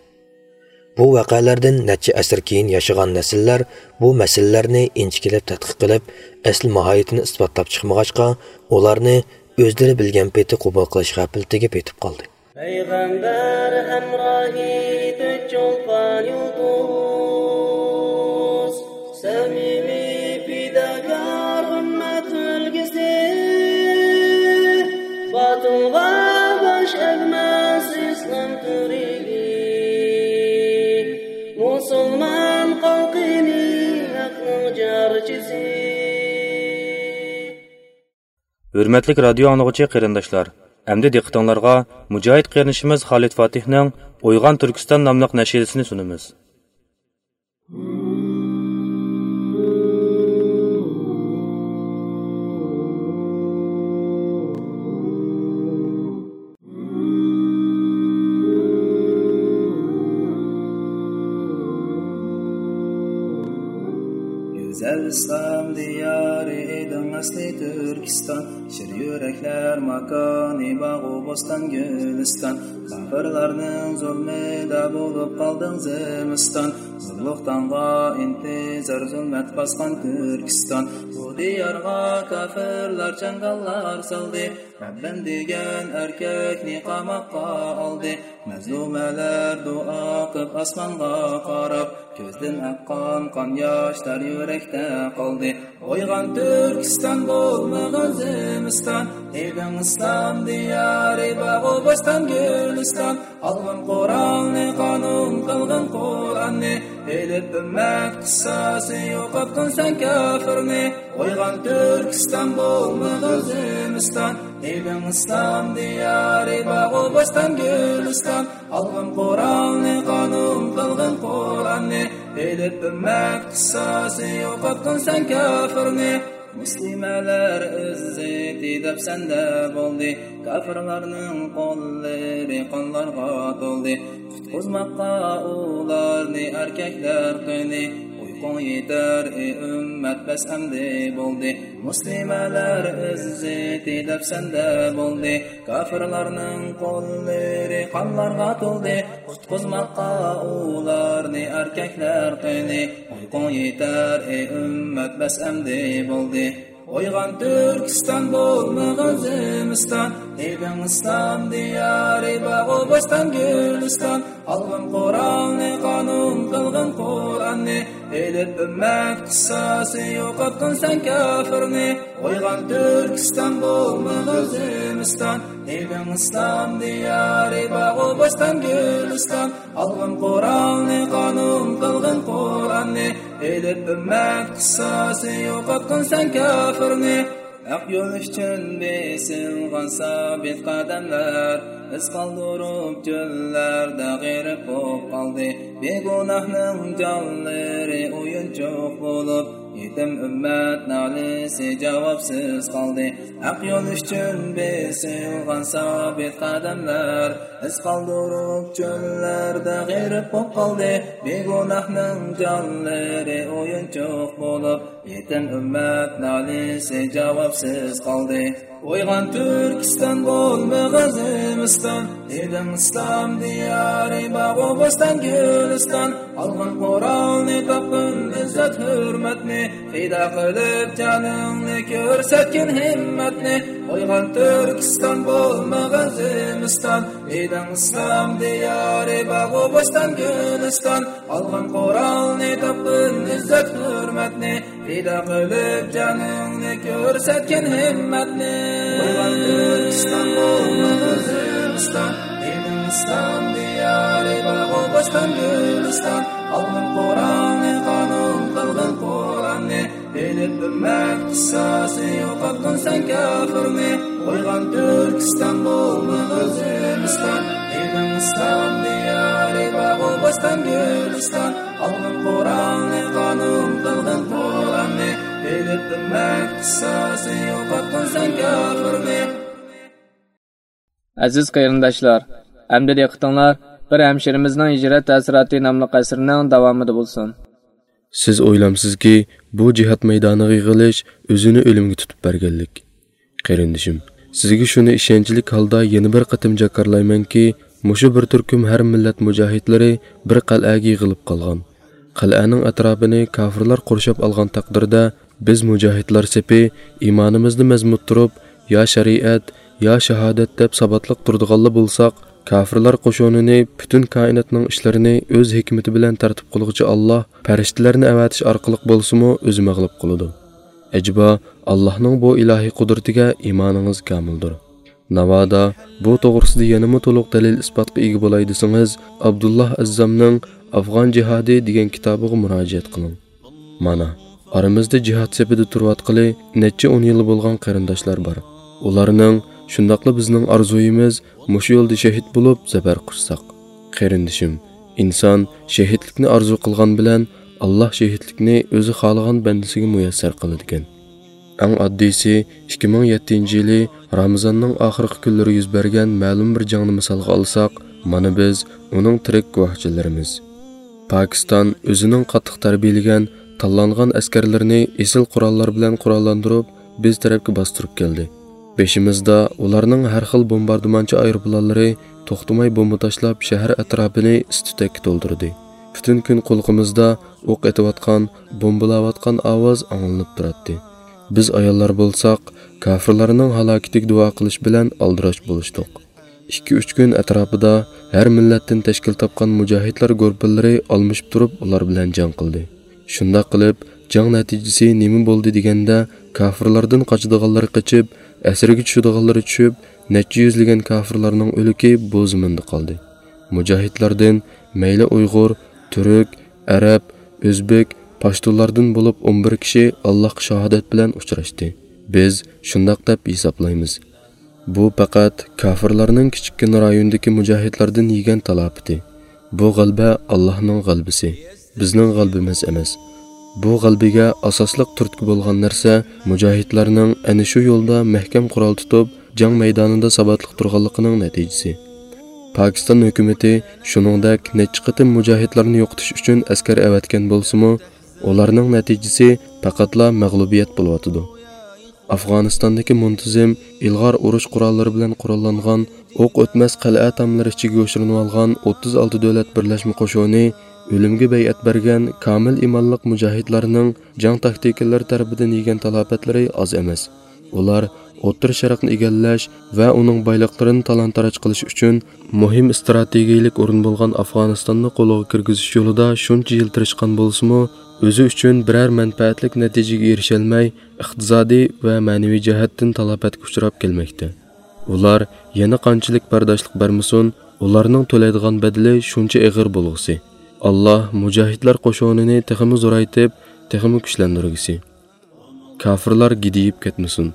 بۇ ۋەقەلەردىن نەچچە ئەسىر كېيىن ياشىغان نەسىللەر بۇ مەسىلىلەرنى ئىنچىكىلەپ تەتقىق قىلىپ، ئەسلى ماھىيىتىنى ئىسپاتلاپ چىقمىغاچقا، ئۇلارنى ئۆزلىرى بىلگەن پېتى قوبۇل قىلىش غەپلىتىگە پېتىپ قالدى. پەيغەمبەر ھەمراھى تۆت چولپان يۇلتۇز، سەمىمىي پىداكار ئۈممەت ئۈلگىسى، باتىلغا باش ئەگمەس ئىسلام تۈرىگى، مۇسۇلمان خەلقىنى ھەقنىڭ جارچىسى. ھۆرمەتلىك رادىيو ئاڭلىغۇچى قېرىنداشلار، ئەمدى دىققىتىڭلارغا مۇجاھىد قېرىندىشىمىز خالىد فاتىھنىڭ ئويغان تۈركىستان ناملىق نەشىدىسىنى سۇنىمىز. گۈزەل ئىسلام دىيارى ئىدىڭ ئەسلى تۈركىستان، شىر يۈرەكلەر ماكانى باغۇ بوستان گۈلىستان، كاپىرلارنىڭ زۇلمىدا بولۇپ قالدىڭ زىمىستان، زۇلۇلۇق تاڭغا ئىنتىزار زۇلمەت باسقان تۈركىستان، بۇ دىيارغا كاپىرلار چاڭگاللار سالدى. رەببىم دېگەن ئەركەكنى قاماققا ئالدى. مەزلۇمەلەر دۇئا قىپ ئاسمانغا قاراپ، كۆزدىن ئاققان قان ياشلار يۈرەكتە قالدى. ئويغان تۈركىستان بولمىغان زىمىستان، ئىدىڭ ئىسلام دىيارى باغۇ بوستان گۈلىستان. ئالغىن قورالنى قانۇن قىلغىن قۇرئاننى، ئېلىپ ئۈممەت قىسساسى يوقاتقىن سەن كاپىرنى. ئويغان تۈركىستان بولمىغان زىمىستان، ئىدىڭ ئىسلام دىيارى باغۇ بوستان گۈلىستان. ئالغىن قورالنى قانۇن قىلغىن قۇرئاننى، ئېلىپ ئۈممەت قىسساسى يوقاتقىن سەن كاپىرنى. مۇسلىمەلەر ئىززىتى دەپ سەندە بولدى، كاپىرلارنىڭ قوللىرى قانلارغا تولدى. قۇتقۇزماققا ئۇلارنى ئەركەكلەر قېنى، ئۇيقۇڭ يېتەر ئى ئۈممەت بەس ئەمدى بولدى. مۇسلىمەلەر ئىززىتى دەپ سەندە بولدى، كاپىرلارنىڭ قوللىرى قانلارغا تولدى. قۇتقۇزماققا ئۇلارنى ئەركەكلەر قېنى، ئۇيقۇڭ يېتەر ئى ئۈممەت بەس ئەمدى بولدى. ئويغان تۈركىستان، بولمىغىن زىمىستان، ئېلىڭ ئىسلام دىيارى، باغۇ بوستان گۈلىستان. ئالغىن قورالنى، قانۇن قىلغىن قۇرئاننى، ئېلىپ ئۈممەت قىساسى، يوقاتقىن سەن كاپىرنى. ئويغان تۈركىستان، بولمىغىن زىمىستان، ئېلىڭ ئىسلام دىيارى، باغۇ بوستان گۈلىستان. ئالغىن قورالنى، قانۇن قىلغىن قۇرئاننى، ئېلىپ ئۈممەت قىساسى، يوقاتقىن سەن كاپىرنى. ھەق يول ئۈچۈن بېسىلغان سابىت قەدەملەر، ئىز قالدۇرۇپ چۆللەردە غېرىق بولۇپ قالدى. بىگۇناھنىڭ جانلىرى ئويۇنچۇق بولۇپ، يېتىم ئۈممەت نالىسى جاۋابسىز قالدى. ھەق يول ئۈچۈن بېسىلغان سابىت قەدەملەر، ئىز قالدۇرۇپ چۆللەردە غېرىق بولۇپ قالدى. بىگۇناھنىڭ جانلىرى ئويۇنچۇق بولۇپ، يېتىم ئۈممەت نالىسى جاۋابسىز قالدى. ئويغان تۈركىستان، بولمىغىن زىمىستان، ئېلىڭ ئىسلام دىيارى، باغۇ بوستان گۈلىستان. ئالغىن قورالنى، تاپقىن ئىززەت ھۆرمەتنى، پىدا قىلىپ جانىڭنى، كۆرسەتكىن ھىممەتنى. ئويغان تۈركىستان، بولمىغىن زىمىستان، ئېلىڭ ئىسلام دىيارى، باغۇ بوستان گۈلىستان. ئالغىن قورالنى، تاپقىن ئىززەت ھۆرمەتنى، پىدا قىلىپ جانىڭنى، كۆرسەتكىن ھىممەتنى. ئويغان تۈركىستان، بولمىغىن زىمىستان، ئېلىڭ ئىسلام دىيارى، باغۇ بوستان گۈلىستان. ئالغىن قورالنى، قانۇن قىلغىن قۇرئاننى، ئېلىپ ئۈممەت قىساسى، يوقاتقىن سەن كاپىرنى. ئويغان تۈركىستان، بولمىغىن زىمىستان، ئېلىڭ ئىسلام دىيارى، باغۇ بوستان گۈلىستان. ئالغىن قورالنى، قانۇن قىلغىن قۇرئاننى، ئېلىپ ئۈممەت قىساسى، يوقاتقىن سەن كاپىرنى. ئەزىز قېرىنداشلار، ئەمدى دىققىتىڭلار بىر ھەمشىرىمىزنىڭ ھىجرەت تەسىراتى ناملىق ئەسىرىنىڭ داۋامىدا بولسۇن. سىز ئويلامسىزكى، بۇ جىھاد مەيدانىغا يىغىلىش ئۆزىنى ئۆلۈمگە تۇتۇپ بەرگەنلىك؟ قېرىندىشىم، سىزگە شۇنى ئىشەنچلىك ھالدا يەنە بىر قېتىم جاكارلايمەنكى، مۇشۇ بىر تۈركۈم ھەر مىللەت مۇجاھىدلىرى بىر قەلئەگە يىغىلىپ قالغان. قەلئەنىڭ ئەتراپىنى كاپىرلار قورشاپ ئالغان تەقدىردە، بىز مۇجاھىدلار سېپى ئىمانىمىزنى مەزمۇت تۇرۇپ، يا شەرىئەت، يا شاھادەت دەپ ساباتلىق تۇرىدىغانلا بولساق، كاپىرلار قوشۇنىنى پۈتۈن كائىناتنىڭ ئىشلىرىنى ئۆز ھېكمىتى بىلەن تەرتىپ قىلغۇچى ئاللاھ پەرىشتىلەرنى ئەۋەتىش ئارقىلىق بولسىمۇ ئۆزى مەغلۇپ قىلىدۇ. ئەجەبا، ئاللاھنىڭ بۇ ئىلاھىي قۇدرىتىگە ئىمانىڭىز كامىلدۇر. ناۋادا بۇ توغرىسىدا يەنىمۇ تولۇق دەلىل-ئىسپاتقا ئىگە بولاي دېسىڭىز، ئابدۇللاھ ئەززامنىڭ ئافغان جىھادى دېگەن كىتابىغا مۇراجىئەت قىلىڭ. مانا، ئارىمىزدا جىھاد سېپىدە تۇرۇۋاتقىلى نەچچە ئون يىلى بولغان قېرىنداشلار بار. ئۇلارنىڭ، شۇنداقلا بىزنىڭ ئارزۇيىمىز مۇشۇ يولدا شېھىت بولۇپ زەپەر قۇچساق. قېرىندىشىم، ئىنسان شېھىتلىكنى ئارزۇ قىلغان بىلەن، ئاللاھ شېھىتلىكنى ئۆزى خالىغان بەندىسىگە مۇيەسسەر قىلىدىكەن. ئەڭ ئاددىيسى، ئىككى مىڭ يەتتىنچى يىلى رامىزاننىڭ ئاخىرقى كۈنلىرى يۈز بەرگەن مەلۇم بىر جەڭنى مىسالغا ئالساق، مانا بىز ئۇنىڭ تىرىك گۇۋاھچىلىرىمىز. پاكىستان ئۆزىنىڭ قاتتىق تەربىيەلىگەن، تاللانغان ئەسكەرلىرىنى ئېسىل قوراللار بىلەن قوراللاندۇرۇپ، بىز تەرەپكە باستۇرۇپ كەلدى. بېشىمىزدا ئۇلارنىڭ ھەر خىل بومباردىمانچى ئايروپىلانلىرى توختىماي بومبا تاشلاپ، شەھەر ئەتراپىنى ئىس-تۈتەككە تولدۇردى. پۈتۈن كۈن قۇلىقىمىزدا ئوق ئېتىۋاتقان، بومبىلاۋاتقان ئاۋاز ئاڭلىنىپ تۇراتتى. بىز ئاياللار بولساق، كاپىرلارنىڭ ھالاكىتىگە دۇئا قىلىش بىلەن ئالدىراش بولۇشتۇق. ئىككى-ئۈچ كۈن ئەتراپىدا ھەر مىللەتتىن تەشكىل تاپقان مۇجاھىدلار گۇرۇپپىلىرى ئالمىشىپ تۇرۇپ ئۇلار بىلەن جەڭ قىلدى. شۇنداق قىلىپ، جەڭ نەتىجىسى نېمە بولدى دېگەندە، كاپىرلاردىن قاچىدىغانلىرى قېچىپ، ئەسىرگە چۈشىدىغانلىرى چۈشۈپ، نەچچە يۈزلىگەن كاپىرلارنىڭ ئۆلۈكى بۇ زېمىندا قالدى. مۇجاھىدلاردىن مەيلى ئۇيغۇر، تۈرك، ئەرەب، ئۆزبېك، پاشتۇنلاردىن بولۇپ ئون بىر كىشى ئاللاھقا شاھادەت بىلەن ئۇچراشتى. بىز شۇنداق دەپ ھېسابلايمىز. بۇ پەقەت كاپىرلارنىڭ كىچىككىنە رايوندىكى مۇجاھىدلاردىن يېگەن تالاپىتى. بۇ غەلىبە ئاللاھنىڭ غەلىبىسى، بىزنىڭ غەلىبىمىز ئەمەس. بۇ غەلىبىگە ئاساسلىق تۈرتكە بولغان نەرسە مۇجاھىدلارنىڭ ئەنە شۇ يولدا مەھكەم قورال تۇتۇپ، جەڭ مەيدانىدا ساباتلىق تۇرغانلىقىنىڭ نەتىجىسى. پاكىستان ھۆكۈمىتى شۇنىڭدەك نەچچە قېتىم مۇجاھىدلارنى يوقىتىش ئۈچۈن ئەسكەر ئەۋەتكەن بولسىمۇ، ئۇلارنىڭ نەتىجىسى پەقەتلا مەغلۇبىيەت بولۇۋاتىدۇ. ئافغانىستاندىكى مۇنتىزىم ئىلغار ئۇرۇش قوراللىرى بىلەن قوراللانغان ئوق ئۆتمەس قەلئە تاملىرى ئىچىگە يوشۇرۇنۇۋالغان ئوتتۇز ئالتە دۆلەت بىرلەشمە قوشۇنى ئۆلۈمگە بەيئەت بەرگەن كامىل ئىمانلىق مۇجاھىدلارنىڭ جەڭ تاكتىكىلىرى تەرىپىدىن يېگەن تالاپەتلىرى ئاز ئەمەس. ئۇلار ئوتتۇرا شەرقنى ئىگىلەش ۋە ئۇنىڭ بايلىقلىرىنى تالان-تاراج قىلىش ئۈچۈن مۇھىم ئىستراتېگىيىلىك ئورۇن بولغان ئافغانىستاننى قولغا كىرگۈزۈش يولىدا شۇنچە يىل تىرىشقان بولسىمۇ، ئۆزى ئۈچۈن بىرەر مەنپەئەتلىك نەتىجىگە ئېرىشەلمەي، ئىقتىسادىي ۋە مەنىۋى جەھەتتىن تالاپەتكە ئۇچراپ كەلمەكتە. ئۇلار يەنە قانچىلىك بەرداشلىق بەرمىسۇن، ئۇلارنىڭ تۆلەيدىغان بەدىلى شۇنچە ئېغىر بولغۇسى. ئاللا مۇجاھىدلار قوشۇنىنى تېخىمۇ زورايتىپ، تېخىمۇ كۈچلەندۈرگۈسى. كاپىرلار گىدىيىپ كەتمىسۇن.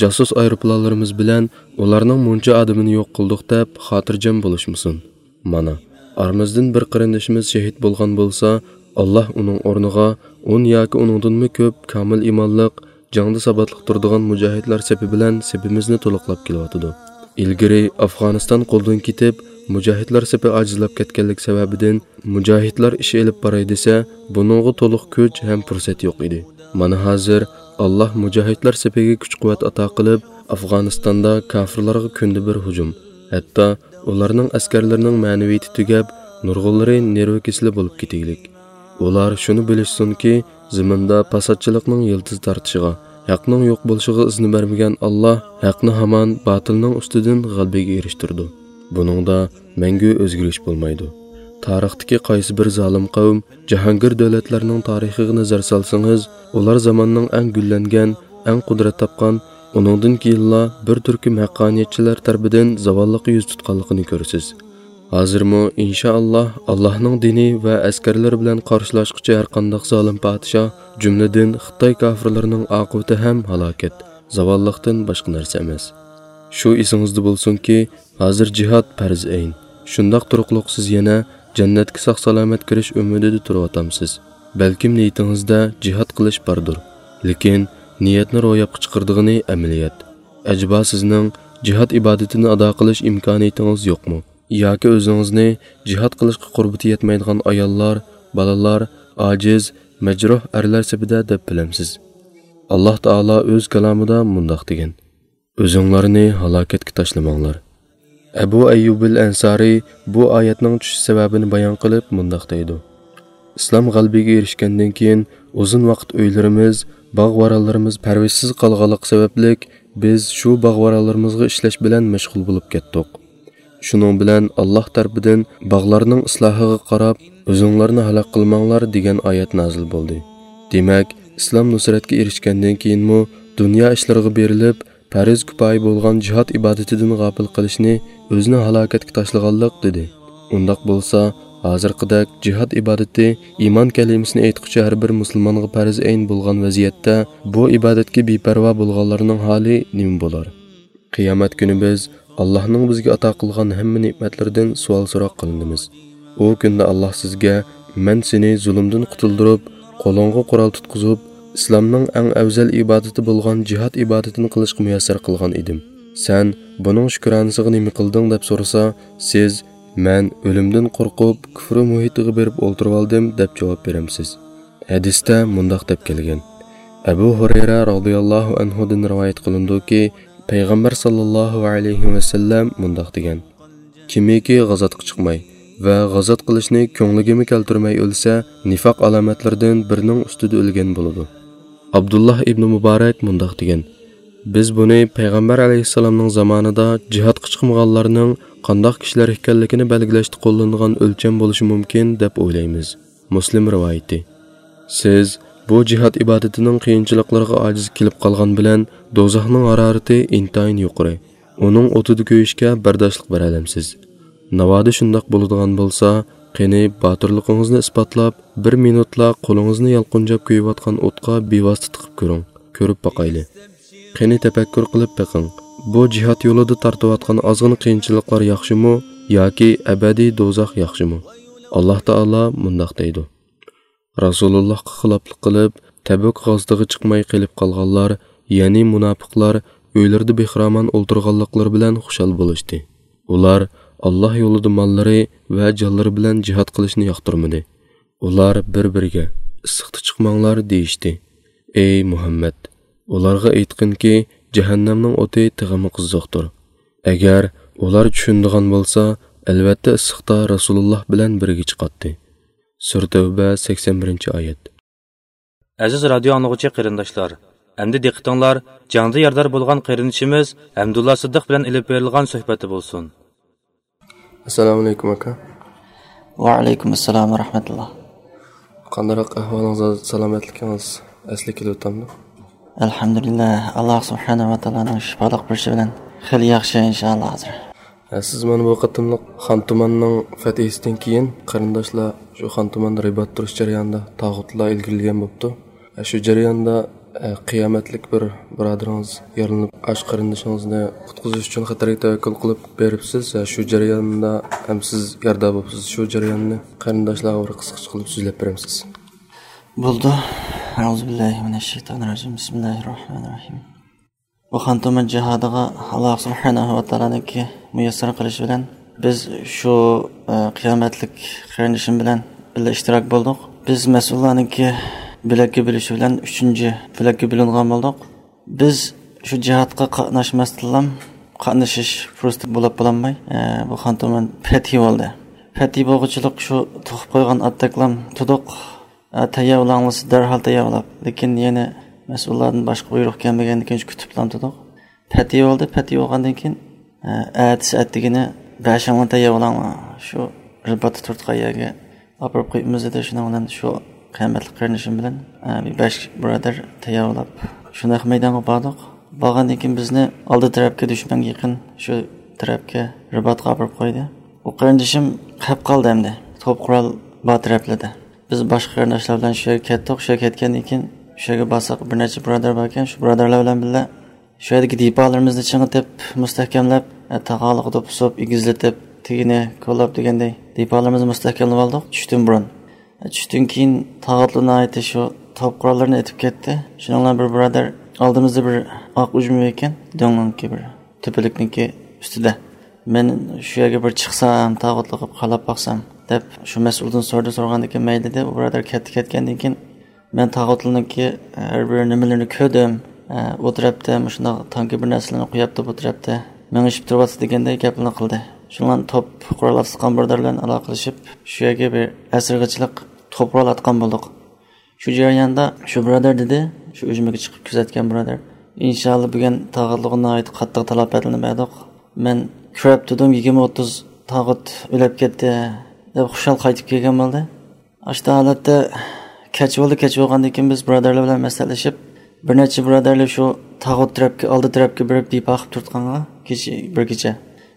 جاسۇس ئايروپىلانلىرىمىز بىلەن ئۇلارنىڭ مۇنچە ئادىمىنى يوق قىلدۇق دەپ خاتىرجەم بولۇشمىسۇن. مانا، ئارىمىزدىن بىر قېرىندىشىمىز شېھىت بولغان بولسا، ئاللا ئۇنىڭ ئورنىغا ئون ياكى ئۇنىڭدىنمۇ كۆپ كامىل ئىمانلىق، جەڭدە ساباتلىق تۇرىدىغان مۇجاھىدلار سېپى بىلەن سېپىمىزنى تولۇقلاپ كېلىۋاتىدۇ. ئىلگىرى ئافغانىستان قولدىن كېتىپ، مۇجاھىدلار سېپى ئاجىزلاپ كەتكەنلىك سەۋەبىدىن، مۇجاھىدلار ئىش ئېلىپ باراي دېسە، بۇنىڭغا تولۇق كۈچ ھەم پۇرسەت يوق ئىدى. مانا ھازىر ئاللا مۇجاھىدلار سېپىگە كۈچ-قۇۋۋەت ئاتا قىلىپ، ئافغانىستاندا كاپىرلارغا كۈندە بىر ھۇجۇم، ھەتتا ئۇلارنىڭ ئەسكەرلىرىنىڭ مەنىۋىيىتى تۈگەپ، نۇرغۇنلىرى نېرۋا كېسىلى بولۇپ كېتىگلىك. ئۇلار شۇنى بىلىشسۇنكى، زېمىندا پاساتچىلىقنىڭ يىلتىز تارتىشىغا، ھەقنىڭ يوق بولۇشىغا ئىزنا بەرمىگەن ئاللا ھەقنى ھامان باتىلنىڭ ئۈستىدىن غەلىبىگە ئېرىشتۈرىدۇ. بۇنىڭدا مەڭگۈ ئۆزگىرىش بولمايدۇ. تارىختىكى قايسى بىر زالىم قەۋم، جاھانگىر دۆلەتلەرنىڭ تارىخىغا نەزەر سالسىڭىز، ئۇلار زاماننىڭ ئەڭ گۈللەنگەن، ئەڭ قۇدرەت تاپقان، ئۇنىڭدىن كېيىنلا بىر تۈركۈم ھەققانىيەتچىلەر تەرىپىدىن زاۋاللىققا يۈز تۇتقانلىقىنى كۆرىسىز. ھازىرمۇ، ئىنشائاللا، ئاللاھنىڭ دىنى ۋە ئەسكەرلىرى بىلەن قارشىلاشقۇچى ھەرقانداق زالىم پادىشاھ، جۈملىدىن خىتاي كاپىرلىرىنىڭ ئاقىۋىتى ھەم ھالاكەت، زاۋاللىقتىن باشقا نەرسە ئەمەس. شۇ ئېسىڭىزدە بولسۇنكى، ھازىر جىھاد پەرز ئەين. شۇنداق تۇرۇقلۇق سىز يەنە جەننەتكە ساق-سالامەت كىرىش ئۈمىدىدە تۇرۇۋاتامسىز؟ بەلكىم نىيىتىڭىزدە جىھاد قىلىش باردۇر، لېكىن نىيەتنى روياپقا چىقىرىدىغىنى ئەمەلىيەت. ئەجەبا سىزنىڭ جىھاد ئىبادىتىنى ئادا قىلىش ئىمكانىيىتىڭىز يوقمۇ؟ ياكى ئۆزىڭىزنى جىھاد قىلىشقا قۇربىتى يەتمەيدىغان ئاياللار، بالىلار، ئاجىز، مەجرۇھ ئەرلەر سېپىدە دەپ بىلەمسىز؟ ئاللاھ تائالا ئۆز كالامىدا مۇنداق دېگەن: «ئۆزۈڭلارنى ھالاكەتكە تاشلىماڭلار.» ئەبۇ ئەييۇبىل ئەنسارى بۇ ئايەتنىڭ چۈشۈش سەۋەبىنى بايان قىلىپ مۇنداق دەيدۇ: «ئىسلام غەلىبىگە ئېرىشكەندىن كېيىن، ئۇزۇن ۋاقىت ئۆيلىرىمىز، باغ-ۋارانلىرىمىز پەرۋىشسىز قالغانلىقى سەۋەبلىك، بىز شۇ باغ-ۋارانلىرىمىزغا ئىشلەش بىلەن مەشغۇل بولۇپ كەتتۇق. شۇنىڭ بىلەن ئاللاھ تەرىپىدىن باغلارنىڭ ئىسلاھىغا قاراپ، ئۆزۈڭلارنى ھالاك قىلماڭلار دېگەن ئايەت نازىل بولدى.» دېمەك، ئىسلام نۇسرەتكە ئېرىشكەندىن كېيىنمۇ دۇنيا ئىشلىرىغا بېرىلىپ، پەرز كۇپايە بولغان جىھاد ئىبادىتىدىن غاپىل قىلىشنى ئۆزىنى ھالاكەتكە تاشلىغانلىق، دېدى. ئۇنداق بولسا، ھازىرقىدەك جىھاد ئىبادىتى ئىمان كەلىمىسىنى ئېيتقۇچى ھەر بىر مۇسۇلمانغا پەرز ئەين بولغان ۋەزىيەتتە، بۇ ئىبادەتكە بىپەرۋا بولغانلارنىڭ ھالى نېمە بولار؟ قىيامەت كۈنى بىز ئاللاھنىڭ بىزگە ئاتا قىلغان ھەممە نېمەتلىرىدىن سوئال-سوراق قىلىنىمىز. ئۇ كۈندە ئاللاھ سىزگە: «مەن سېنى زۇلۇمدىن قۇتۇلدۇرۇپ، قولۇڭغا قورال تۇتقۇزۇپ، ئىسلامنىڭ ئەڭ ئەۋزەل ئىبادىتى بولغان جىھاد ئىبادىتىنى قىلىشقا مۇيەسسەر قىلغان ئىدىم. سەن بۇنىڭ شۈكرانىسىغا نېمە قىلدىڭ؟» دەپ سورىسا، سىز: «مەن ئۆلۈمدىن قورقۇپ، كۇفرى مۇھىتىغا بېرىپ ئولتۇرۇۋالدىم» دەپ جاۋاب بېرەمسىز؟ ھەدىستە مۇنداق دەپ كەلگەن. ئەبۇ ھۇرەيرە رازىياللاھۇ ئەنھۇدىن رىۋايەت قىلىنىدۇكى، پەيغەمبەر ساللاللاھۇ ئەلەيھى ۋەسەللەم مۇنداق دېگەن: «كىمكى غازاتقا چىقماي ۋە غازات قىلىشنى كۆڭلىگىمۇ كەلتۈرمەي ئۆلسە، نىفاق ئالامەتلىرىدىن بىرىنىڭ ئۈستىدە ئۆلگەن بولىدۇ.» ئابدۇللاھ ئىبنى مۇبارەك مۇنداق دېگەن: «بىز بۇنى پەيغەمبەر ئەلەيھىسسالامنىڭ زامانىدا جىھادقا چىقمىغانلارنىڭ قانداق كىشىلەر ئىكەنلىكىنى بەلگىلەشتە قوللىنىدىغان ئۆلچەم بولۇشى مۇمكىن دەپ ئويلايمىز.» مۇسلىم رىۋايىتى. سىز بۇ جىھاد ئىبادىتىنىڭ قىيىنچىلىقلىرىغا ئاجىز كېلىپ قالغان بىلەن، دوزاخنىڭ ھارارىتى ئىنتايىن يۇقىرى، ئۇنىڭ ئوتىدا كۆيۈشكە بەرداشلىق بېرەلەمسىز؟ ناۋادا شۇنداق بولىدىغان بولسا، قېنى، باتۇرلۇقىڭىزنى ئىسپاتلاپ، بىر مىنۇتلا قولىڭىزنى يالقۇنجاپ كۆيۈۋاتقان ئوتقا بىۋاسىتە تىقىپ كۆرۈڭ، كۆرۈپ باقايلى. قېنى، تەپەككۇر قىلىپ بېقىڭ، بۇ جىھاد يولىدا تارتىۋاتقان ئازغىنە قىيىنچىلىقلار ياخشىمۇ ياكى ئەبەدىي دوزاخ ياخشىمۇ؟ ئاللاھ تائالا مۇنداق دەيدۇ: «رەسۇلۇللاھقا خىلاپلىق قىلىپ، تەبۈك غازىتىغا چىقماي قېلىپ قالغانلار، يەنى مۇناپىقلار ئۆيلىرىدە بىخىرامان ئولتۇرغانلىقلىرى بىلەن خۇشال بولۇشتى. ئۇلار ئاللاھ يولىدا ماللىرى ۋە جانلىرى بىلەن جىھاد قىلىشنى ياقتۇرمىدى. ئۇلار بىر-بىرىگە، ئىسسىقتا چىقماڭلار، دېيىشتى. ئەي مۇھەممەد، ئۇلارغا ئېيتقىنكى، جەھەننەمنىڭ ئوتى تېخىمۇ قىزىقتۇر. ئەگەر ئۇلار چۈشىنىدىغان بولسا، ئەلۋەتتە ئىسسىقتا رەسۇلۇللاھ بىلەن بىرگە چىقاتتى.» سۈرە تەۋبە، سەكسەن بىرىنچى ئايەت. ئەزىز رادىيو ئاڭلىغۇچى قېرىنداشلار، ئەمدى دىققىتىڭلار جەڭدە يارىدار بولغان قېرىندىشىمىز ئەبدۇللا سىددىق بىلەن ئېلىپ بېرىلغان سۆھبەتتە بولسۇن. ئەسسالامۇ ئەلەيكۇم، ئاكا. ۋەئەلەيكۇم ئەسسالام ۋە رەھمەتۇللا. قانداقراق ئەھۋالىڭىز، سالامەتلىكىڭىز ئەسلىگە كېلىۋاتامدۇ؟ ئەلھەمدۇلىللا، ئاللا سۇبھانەھۇ ۋە تائالانىڭ شىپالىق بېرىشى بىلەن خېلى ياخشى، ئىنشائاللا، ھازىر. ھە، سىز مانا بۇ قېتىملىق خان توماننىڭ فەتھىسىدىن كېيىن، قېرىنداشلار شۇ خان توماندا رىبات تۇرۇش جەريانىدا تاغۇتلار ئىلگىرىلىگەن بوپتۇ. ھە، شۇ جەرياندا، ھە، قىيامەتلىك بىر بۇرادىرىڭىز يارىلىنىپ، ئاشۇ قېرىندىشىڭىزنى قۇتقۇزۇش ئۈچۈن خەتەرگە تەۋەككۈل قىلىپ بېرىپسىز. ھە، شۇ جەرياندا ھەم سىز يارىدار بوپسىز. شۇ جەرياننى قېرىنداشلارغا بىر قىسقىچە قىلىپ سۆزلەپ بېرەمسىز؟ بولىدۇ. ئەئۇزۇبىللاھىمىنەششەيتانىررەجىم. بىسمىللاھىررەھمانىررەھىم. بۇ خان تومان جىھادىغا ئاللا سۇبھانەھۇ ۋە تائالانىڭكى مۇيەسسەر قىلىشى بىلەن بىز شۇ، ئە، قىيامەتلىك قېرىندىشىم بىلەن بىللە ئىشتىراك بولدۇق. بىز مەسئۇللارنىڭكى بۆلەككە بۆلۈشى بىلەن ئۈچىنچى بۆلەككە بۆلۈنگەن بولدۇق. بىز شۇ جىھادقا قاتناشماستىنلا قاتنىشىش پۇرسىتى بولۇپ بولالماي، ئە، بۇ خان تومان پەتھى بولدى. پەتھى بولغۇچىلىق شۇ تۇغۇپ قويغان ئاتتەكلام تۇدۇق. ئە، تەييارلاڭلىسا دەرھال تەييارلاپ، لېكىن يەنە مەسئۇللاردىن باشقا بۇيرۇق كەلمىگەندىن كېيىن شۇ كۈتۈپلا تۇردۇق. پەتھى بولدى، پەتھى بولغاندىن كېيىن، ئە، ئەتىسى ئەتىگىنى بەشىڭلار تەييارلاڭلار، شۇ رىباتتا تۇرىدىغان يەرگە ئاپىرىپ قويۇمىز دېدى. شۇنىڭ بىلەن شۇ قىيامەتلىك قېرىندىشىم بىلەن، ئە، بىر بەش بۇرادەر تەييارلاپ، شۇ نەق مەيدانغا باردۇق. بارغاندىن كېيىن بىزنى ئالدى تەرەپكە، دۈشمەنگە يېقىن شۇ تەرەپكە، رىباتقا ئاپىرىپ قويدى. ئۇ قېرىندىشىم قېلىپ قالدى ئەمدى، توپ قورال بار تەرەپلەردە. بىز باشقا قېرىنداشلار بىلەن شۇ يەرگە كەتتۇق. شۇ يەرگە كەتكەندىن كېيىن، شۇ يەرگە بارساق، بىر نەچچە بۇرادەر باركەن. شۇ بۇرادەرلەر بىلەن بىللە شۇ يەردىكى دىپالىرىمىزنى چىڭىتىپ، مۇستەھكەملەپ، ئە، تاغارلىققا دوپپا سوپ، ئېگىزلىتىپ، تېگىنى كولاپ دېگەندەك دىپالىرىمىزنى مۇستەھكەملىۋالدۇق چۈشتىن بۇرۇن. ئە، چۈشتىن كېيىن تاغۇتلار ناھايىتى شۇ توپ قوراللىرىنى ئېتىپ كەتتى. شۇنىڭ بىلەن بىر بۇرادەر ئالدىمىزدا بىر ئاق ئۈجمە ئىكەن، دۆڭنىڭكى بىر تۆپىلىكنىڭكى ئۈستىدە. مەن شۇ يەرگە بىر چىقسام، تاغۇتلۇق قىلىپ قاراپ باقسام، دەپ شۇ مەسئۇلدىن سورىدى. سورىغاندىن كېيىن مەيلى دېدى. ئۇ بۇرادەر كەتتى. كەتكەندىن كېيىن مەن تاغۇتلارنىڭكى ھەر بىر نېمىلىرىنى كۆردۈم. ئۇ تەرەپتە مۇشۇنداق تانكا بىر نەرسىلەرنى قويۇپتۇ، بۇ تەرەپتە مېڭىشىپ تۇرۇۋاتىدۇ دېگەندەك گەپلەرنى قىلدى. شۇنىڭ بىلەن توپ قورال ئاتقان بۇرادەر بىلەن ئالاقىلىشىپ، شۇ يەرگە بىر ئەسىرگىچىلىك توپ قورال ئاتقان بولدۇق. شۇ جەرياندا شۇ بۇرادەر دېدى، شۇ ئۈجمىگە چىقىپ كۆزەتكەن بۇرادەر، ئىنشاللا بۈگۈن تاغۇتلۇققا ناھايىتى قاتتىق تالاپەتلىرىنى بەردۇق. مەن كۆرۈپ تۇردۇم، يىگىرمە ئوتتۇز تاغۇت ئۆلۈپ كەتتى، دەپ خۇشال قايتىپ كەلگەن بولدى. ئاشتا ھالەتتە كەچ بولدى، كەچ بولغاندىن كېيىن بىز بۇرادەرلەر بىلەن مەسلىھەتلىشىپ، بىر نەچچە بۇرادەرلەر شۇ تاغۇت تەرەپكە، ئالدى تەرەپكە بېرىپ دىپا قىلىپ تۇرۇتقانغا، كېچە، بىر كېچە.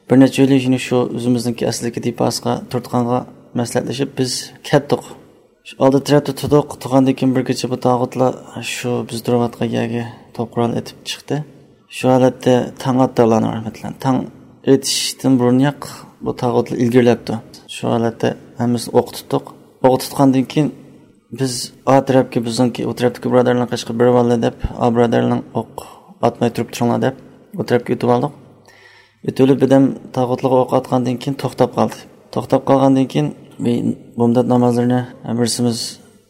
بىر نەچچە ئۆيلەر يەنە شۇ ئۆزىمىزنىڭكى ئەسلىدىكى دىپاسىغا تۇرۇتقانغا مەسلىھەتلىشىپ بىز كەتتۇق. شۇ ئالدى تەرەپتە تۇردۇق. تۇرغاندىن كېيىن بىر كېچە بۇ تاغۇتلار شۇ بىز تۇرۇۋاتقان يەرگە توپ قورال ئېتىپ چىقتى. شۇ ھالەتتە تاڭ ئاتتى، ئاللانىڭ رەھمىتى بىلەن. تاڭ ئېتىشتىن بۇرۇنراق بۇ تاغۇتلار ئىلگىرىلەپتۇ. شۇ ھالەتتە ھەممىسىنى ئوققا تۇتتۇق. ئوققا تۇتقاندىن كېيىن بىز ئا تەرەپكە، بىزنىڭكى ئۇ تەرەپتىكى بۇرادەرلەرنى قېچىقىپ بېرىۋالدى دەپ، ئا بۇرادەرلەرنىڭ ئوق ئاتماي تۇرۇپ تۇرۇڭلار دەپ، ئۇ تەرەپكە ئۆتۈۋالدۇق. ئۆتۈۋېلىپ بىردەم تاغۇتلارغا ئوق ئاتقاندىن كېيىن توختاپ قالدى. توختاپ قالغاندىن كېيىن بۇ بامدات نامازلىرىنى بىرسىمىز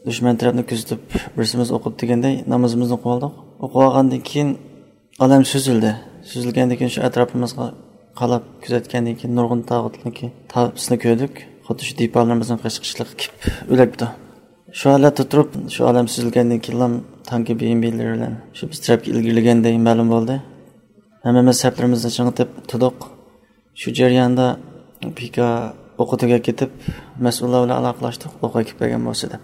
دۈشمەن تەرەپنى كۆزىتىپ، بىرسىمىز ئوقۇدى دېگەندەك نامىزىمىزنى ئوقۇۋالدۇق. ئوقۇۋالغاندىن كېيىن ئالەم سۈزۈلدى. سۈزۈلگەندىن كېيىن شۇ ئەتراپىمىزغا قاراپ كۆزەتكەندىن كېيىن نۇرغۇن تاغۇتنىڭكى تاپىسىنى كۆردۇق. خۇددى شۇ دىپالىرىمىزنىڭ قېچىقىشلىقى كېلىپ ئۆلۈپتۇ. شۇ ھالەتتە تۇرۇپ، شۇ ئالەم سۈزۈلگەندىن كېيىنلا تانكا بىئېمبىلىرى بىلەن شۇ بىز تەرەپكە ئىلگىرىلىگەندەك مەلۇم بولدى. ھەممىمىز سەپلىرىمىزنى چىڭىتىپ تۇردۇق. شۇ جەرياندا پىكا ئوقى تۈگەپ كېتىپ، مەسئۇللار بىلەن ئالاقىلاشتۇق، ئوق ئەكىپ بەرگەن بولسا دەپ.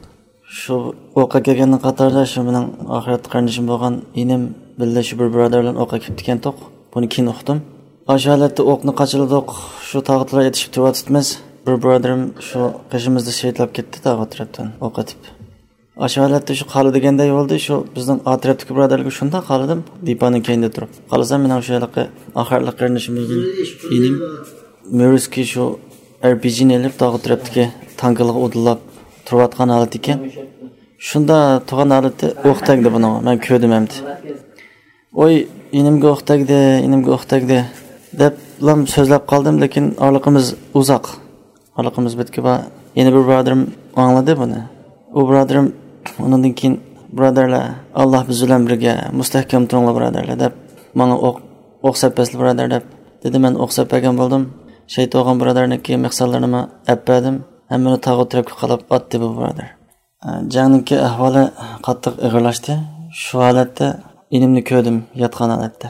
شۇ ئوق ئەكەلگەننىڭ قاتارىدا شۇ مېنىڭ ئاخىرەتتە قېرىندىشىم بولغان ئىنىم بىللە شۇ بىر بۇرادەر بىلەن ئوق ئەكىپتىكەنتۇق. بۇنى كېيىن ئۇقتۇم. ئاشۇ ھالەتتە ئوقنى قاچىلىدۇق. شۇ تاغۇتلار ئېتىشىپ تۇرۇۋاتىمىز. بىر بۇرادىرىم شۇ قېشىمىزدا شېھىتلاپ كەتتى، تاغۇت تەرەپتىن ئوق ئېتىپ. ئاشۇ ھالەتتە شۇ قالدى دېگەندەك بولدى. شۇ بىزنىڭ ئا تەرەپتىكى بۇرادەرلەرگە شۇنداق قارىدىم، دىپانىڭ كەينىدە تۇرۇپ. قارىسام، مېنىڭ شۇ ھېلىقى ئاخىرقى قېرىندىشىمىزدىن ئىنىم مۈرۈسكى شۇ ئەر پى جىنى ئېلىپ، تاغۇت تەرەپتىكى تانكىلارغا ئۇدۇللاپ تۇرۇۋاتقان ھالىتى ئىكەن. شۇنداق تۇرغان ھالىتى ئوق تەگدى بۇنىڭغا، مەن كۆردۈم ئەمدى. «ۋوي، ئىنىمگە ئوق تەگدى، ئىنىمگە ئوق تەگدى» دەپلا سۆزلەپ قالدىم، لېكىن ئارىلىقىمىز ئۇزاق. ئارىلىقىمىز بىتكە بار. يەنە بىر بۇرادىرىم ئاڭلىدى بۇنى. ئۇ بۇرادىرىم ئۇنىڭدىن كېيىن، «بۇرادەرلەر، ئاللا بىز بىلەن بىرگە، مۇستەھكەم تۇرۇڭلار، بۇرادەرلەر» دەپ، ماڭا ئوق، «ئوق سەپ بەرسىلە، بۇرادەر» دەپ دېدى. مەن ئوق سەپ بەرگەن بولدۇم. شېھىت بولغان بۇرادەرنىڭكى مېخسانلىرىنىمۇ ئەپ بەردىم. ھەممىنى تاغۇت تەرەپكە قالاپ ئاتتى بۇ بۇرادەر. ئە، جەڭنىڭكى ئەھۋالى قاتتىق ئېغىرلاشتى. شۇ ھالەتتە ئىنىمنى كۆردۈم، ياتقان ھالەتتە.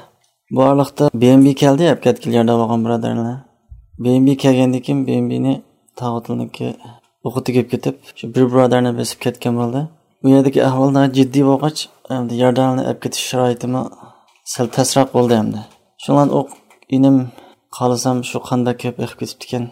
بۇ ئارىلىقتا بى ئېم بى كەلدى، ئەپ كەتكىلى ياردەم بولغان بۇرادەرلەر. بى ئېم بى كەلگەندىن كېيىن بى ئېم بىنى تاغۇتلىنىڭكى ئوقى تېگىپ كېتىپ، شۇ بىر بۇرادەرنى بېسىپ كەتكەن بولدى. ئۇ يەردىكى ئەھۋال ناھايىتى جىددىي بولغاچ، ئەمدى ياردەمنى ئەپ كېتىش شارائىتىمۇ سەل تەسرەك بولدى ئەمدى. شۇڭلان ئوق ئىنىم خالىسام شۇ قان بەك كۆپ ئېقىپ كېتىپتىكەن.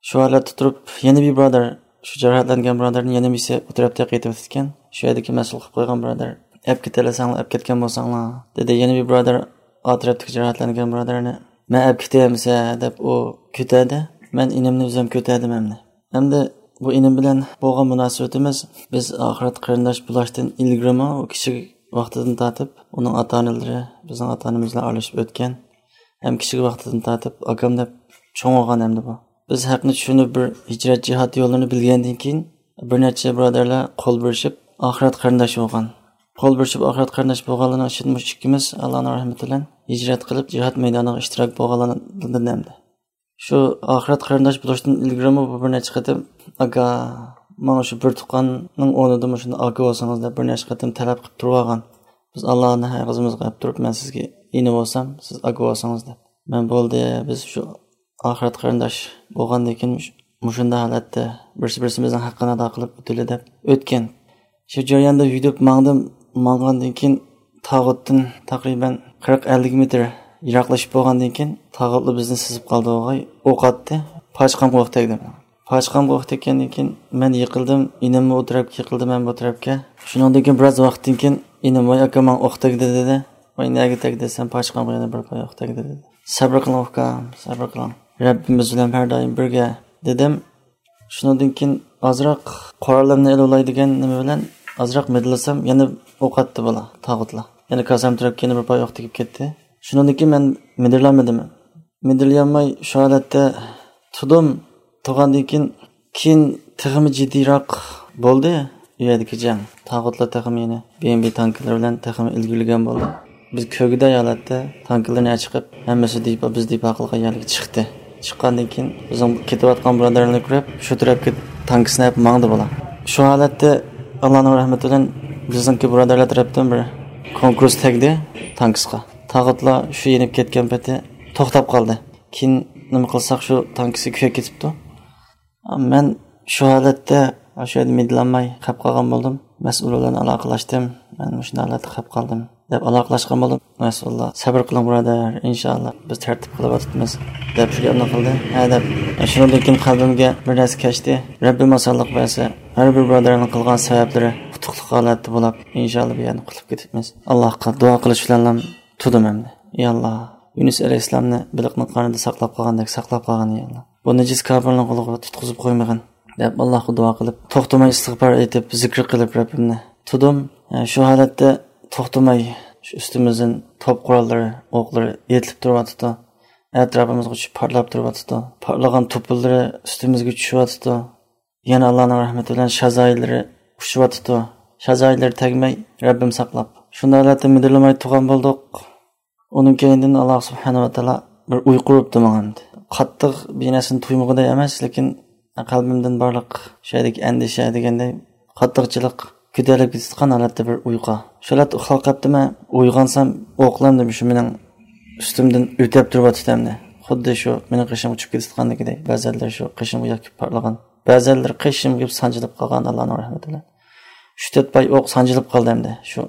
شۇ ھالەتتە تۇرۇپ، يەنە بىر بۇرادەر، شۇ جاراھەتلەنگەن بۇرادەرنى يەنە بىرسى ئۇ تەرەپتە قېتىۋېتىپتىكەن. شۇ يەردىكى مەسئۇل قىلىپ قويغان بۇرادەر، ئەپ كېتەلىسەڭلار، ئەپ كەتكەن بولساڭلار، دېدى. يەنە بىر بۇرادەر ئا تەرەپتىكى جاراھەتلەنگەن بۇرادەرنى، مەن ئەپ كېتەمسە دەپ ئۇ كۆتەردى. مەن ئىنىمنى ئۆزۈم كۆتەردىم ئەمدى. ئەمدى بۇ ئىنىم بىلەن بولغان مۇناسىۋىتىمىز، بىز ئاخىرەت قېرىنداش بولۇشتىن ئىلگىرىمۇ، ئۇ كىچىك ۋاقتىدىن تارتىپ ئۇنىڭ ئاتا-ئانىلىرى بىزنىڭ ئاتا-ئانىمىز بىلەن ئارىلىشىپ ئۆتكەن. ھەم كىچىك ۋاقتىدىن تارتىپ ئاكام دەپ چوڭ بولغان ئەمدى بۇ. بىز ھەقنى چۈشىنىپ بىر ھىجرەت جىھاد يوللىرىنى بىلگەندىن كېيىن، بىر نەچچە بۇرادەرلەر قول بېرىشىپ ئاخىرەت قېرىنداش بولغان. قول بېرىشىپ ئاخىرەت قېرىنداش بولغانلارنىڭ ئىچىدە مۇشۇ ئىككىمىز ئاللانىڭ رەھمىتى بىلەن ھىجرەت قىلىپ جىھاد مەيدانىغا ئىشتىراك بولغانلاردىن ئەمدى. شۇ ئاخىرەت قېرىنداش بولۇشتىن ئىلگىرىمۇ بۇ بىر نەچچە قېتىم، «ئاكا، ماڭا شۇ بىر تۇغقاننىڭ ئورنىدا مۇشۇنداق ئاكا بولسىڭىز» دەپ بىر نەچچە قېتىم تەلەپ قىلىپ تۇرۇۋالغان. بىز ئاللانىڭ ھەققىمىزغا ئەپ تۇرۇپ، مەن سىزگە ئىنى بولسام، سىز ئاكا بولسىڭىز دەپ. مەن بولدى، بىز شۇ ئاخىرەت قېرىنداش بولغاندىن كېيىن مۇش-، مۇشۇنداق ھالەتتە بىرسى بىرسىمىزنىڭ ھەققىنى ئادا قىلىپ ئۆتىلى دەپ ئۆتكەن. شۇ جەرياندا يۈدۈپ ماڭدىم، ماڭغاندىن كېيىن تاغۇتتىن تەقرىبەن قىرىق ئەللىك مېتىر يىراقلىشىپ بولغاندىن كېيىن تاغۇتلا بىزنى سىزىپ قالدى، ئوغاي، ئوق ئاتتى. پاچىقامغا ئوق تەگدى. پاچىقامغا ئوق تەگكەندىن كېيىن مەن يىقىلدىم، ئىنىممۇ ئۇ تەرەپكە يىقىلدى، مەن بۇ تەرەپكە. شۇنىڭدىن كېيىن بىراز ۋاقىتتىن كېيىن ئىنىم، ۋاي ئاكا، ماڭا ئوق تەگدى دېدى. ۋاي نەگە تەگدى دېسەم، پاچىقامغا يەنە بىر پاي ئوق تەگدى دېدى. سەبرى قىلىڭ ئۇكام، سەبرى قىلىڭ. رەببىمىز بىلەن ھەر دائىم بىرگە دېدىم. شۇنىڭدىن كېيىن ئازراق قورالىمنى ئېلىۋالاي دېگەن نېمە بىلەن ئازراق مىدىرلىسام، يەنە ئوق ئاتتى بالا، تاغۇتلار. يەنە كاسام تەرەپكە يەنە بىر پاي ئوق تېگىپ كەتتى. شۇنىڭدىن كېيىن مەن مىدىرلانمىدىم. مىدىرلىيالماي شۇ ھالەتتە تۇردۇم. تۇرغاندىن كېيىن، كېيىن تېخىمۇ جىددىيراق بولدى ئۇ يەردىكى جەڭ. تاغۇتلار تېخىمۇ يەنە بى ئېم بى تانكىلىرى بىلەن تېخىمۇ ئىلگىرىلىگەن بولدى. بىز كۆرگۈدەك ھالەتتە تانكىلىرنى چىقىپ، ھەممىسى دېپو، بىز دېپو قىلغان يەرگە چىقتى. چىققاندىن كېيىن بىزنىڭ كېتىۋاتقان بۇرادەرلەرنى كۆرۈپ، شۇ تەرەپكە تانكىسىنى ئېلىپ ماڭدى بۇلار. شۇ ھالەتتە ئاللانىڭ رەھمىتى بىلەن بىزنىڭكى بۇرادەرلەر تەرەپتىن بىر كونكرېس تەگدى تانكىسقا. تاغۇتلار شۇ يېنىپ كەتكەن پېتى توختاپ قالدى. كېيىن نېمە قىلساق، شۇ تانكىسى كۆيۈپ كېتىپتۇ. مەن شۇ ھالەتتە شۇ يەردە مىدىرلانماي قېلىپ قالغان بولدۇم. مەسئۇل بىلەن ئالاقىلەشتىم. مەن مۇشۇنداق ھالەتتە قېلىپ قالدىم دەپ ئالاقىلەشكەن بولدۇم. مەسئۇللار، سەبرى قىلىڭ بۇرادەر، ئىنشائاللا بىز تەرتىپ قىلىۋاتىمىز دەپ شۇ گەپنى قىلدى. ھە دەپ، شۇنىڭدىن كېيىن قەلبىمگە بىر نەرسە كەچتى. رەببىم ئاسانلىق بەرسە، ھەر بىر بۇرادەرنىڭ قىلغان سەۋەبلىرى ئۇتۇقلۇق ھالەتتە بولۇپ، ئىنشائاللا بۇ يەردىن قۇتۇلۇپ كېتىپمىز. ئاللاھقا دۇئا قىلىش بىلەنلا تۇردۇم ئەمدى. يا ئاللا، يۇنۇس ئەلەيھىسسالامنى بېلىقنىڭ قارنىدا ساقلاپ قالغاندەك ساقلاپ قالغىن، يا ئاللا. بۇ نىجىس كاپىرنىڭ قولىغا تۇتقۇزۇپ قويمىغىن، دەپ ئاللاھقا دۇئا قىلىپ، توختىماي ئىستىغپار ئېيتىپ، زىكىر قىلىپ رەببىمنى تۇردۇم. شۇ ھالەتتە توختىماي شۇ ئۈستىمىزدىن توپ قوراللىرى، ئوقلىرى ئېتىلىپ تۇرۇۋاتىدۇ. ئەتراپىمىزغا چۈشۈپ پارتلاپ تۇرۇۋاتىدۇ. پارتلىغان توپىلىرى ئۈستىمىزگە چۈشۈۋاتىدۇ. يەنە ئاللانىڭ رەھمىتى بىلەن شازايىلىرى ئۇچۇۋاتىدۇ. شازايىلىرى تەگمەي، رەببىم ساقلاپ. شۇنداق ھالەتتە مىدىرلىماي تۇرغان بولدۇق. ئۇنىڭ كەينىدىن ئاللا سۇبھانەھۇ ۋە تائالا بىر ئۇيقۇ ئۇرۇپتۇ ماڭا ئەمدى. قاتتىق بىر نەرسىنى تۇيمىغۇدەك ئەمەس، لېكىن قەلبىمدىن بارلىق شۇ يەردىكى ئەندىشە دېگەندەك قاتتىقچىلىق كۆتەرىلىپ كېتىدىغان ھالەتتە بىر ئۇيقۇ. شۇ ھالەتتە ئۇخلاپ قاپتىمەن، ئويغانسام ئوقلار شۇ مېنىڭ ئۈستۈمدىن ئۆتۈپ تۇرۇۋاتىدۇ ئەمدى. خۇددى شۇ مېنىڭ قېشىمغا چۈشۈپ كېتىدىغاندىكىدەك. بەزەنلىرى شۇ قېشىمغا ياكى پارتلىغان. بەزەنلىرى قېشىمغا كېلىپ سانجىلىپ قالغان ئاللانىڭ رەھمىتى بىلەن. ئۈچ تۆت پاي ئوق سانجىلىپ قالدى ئەمدى. شۇ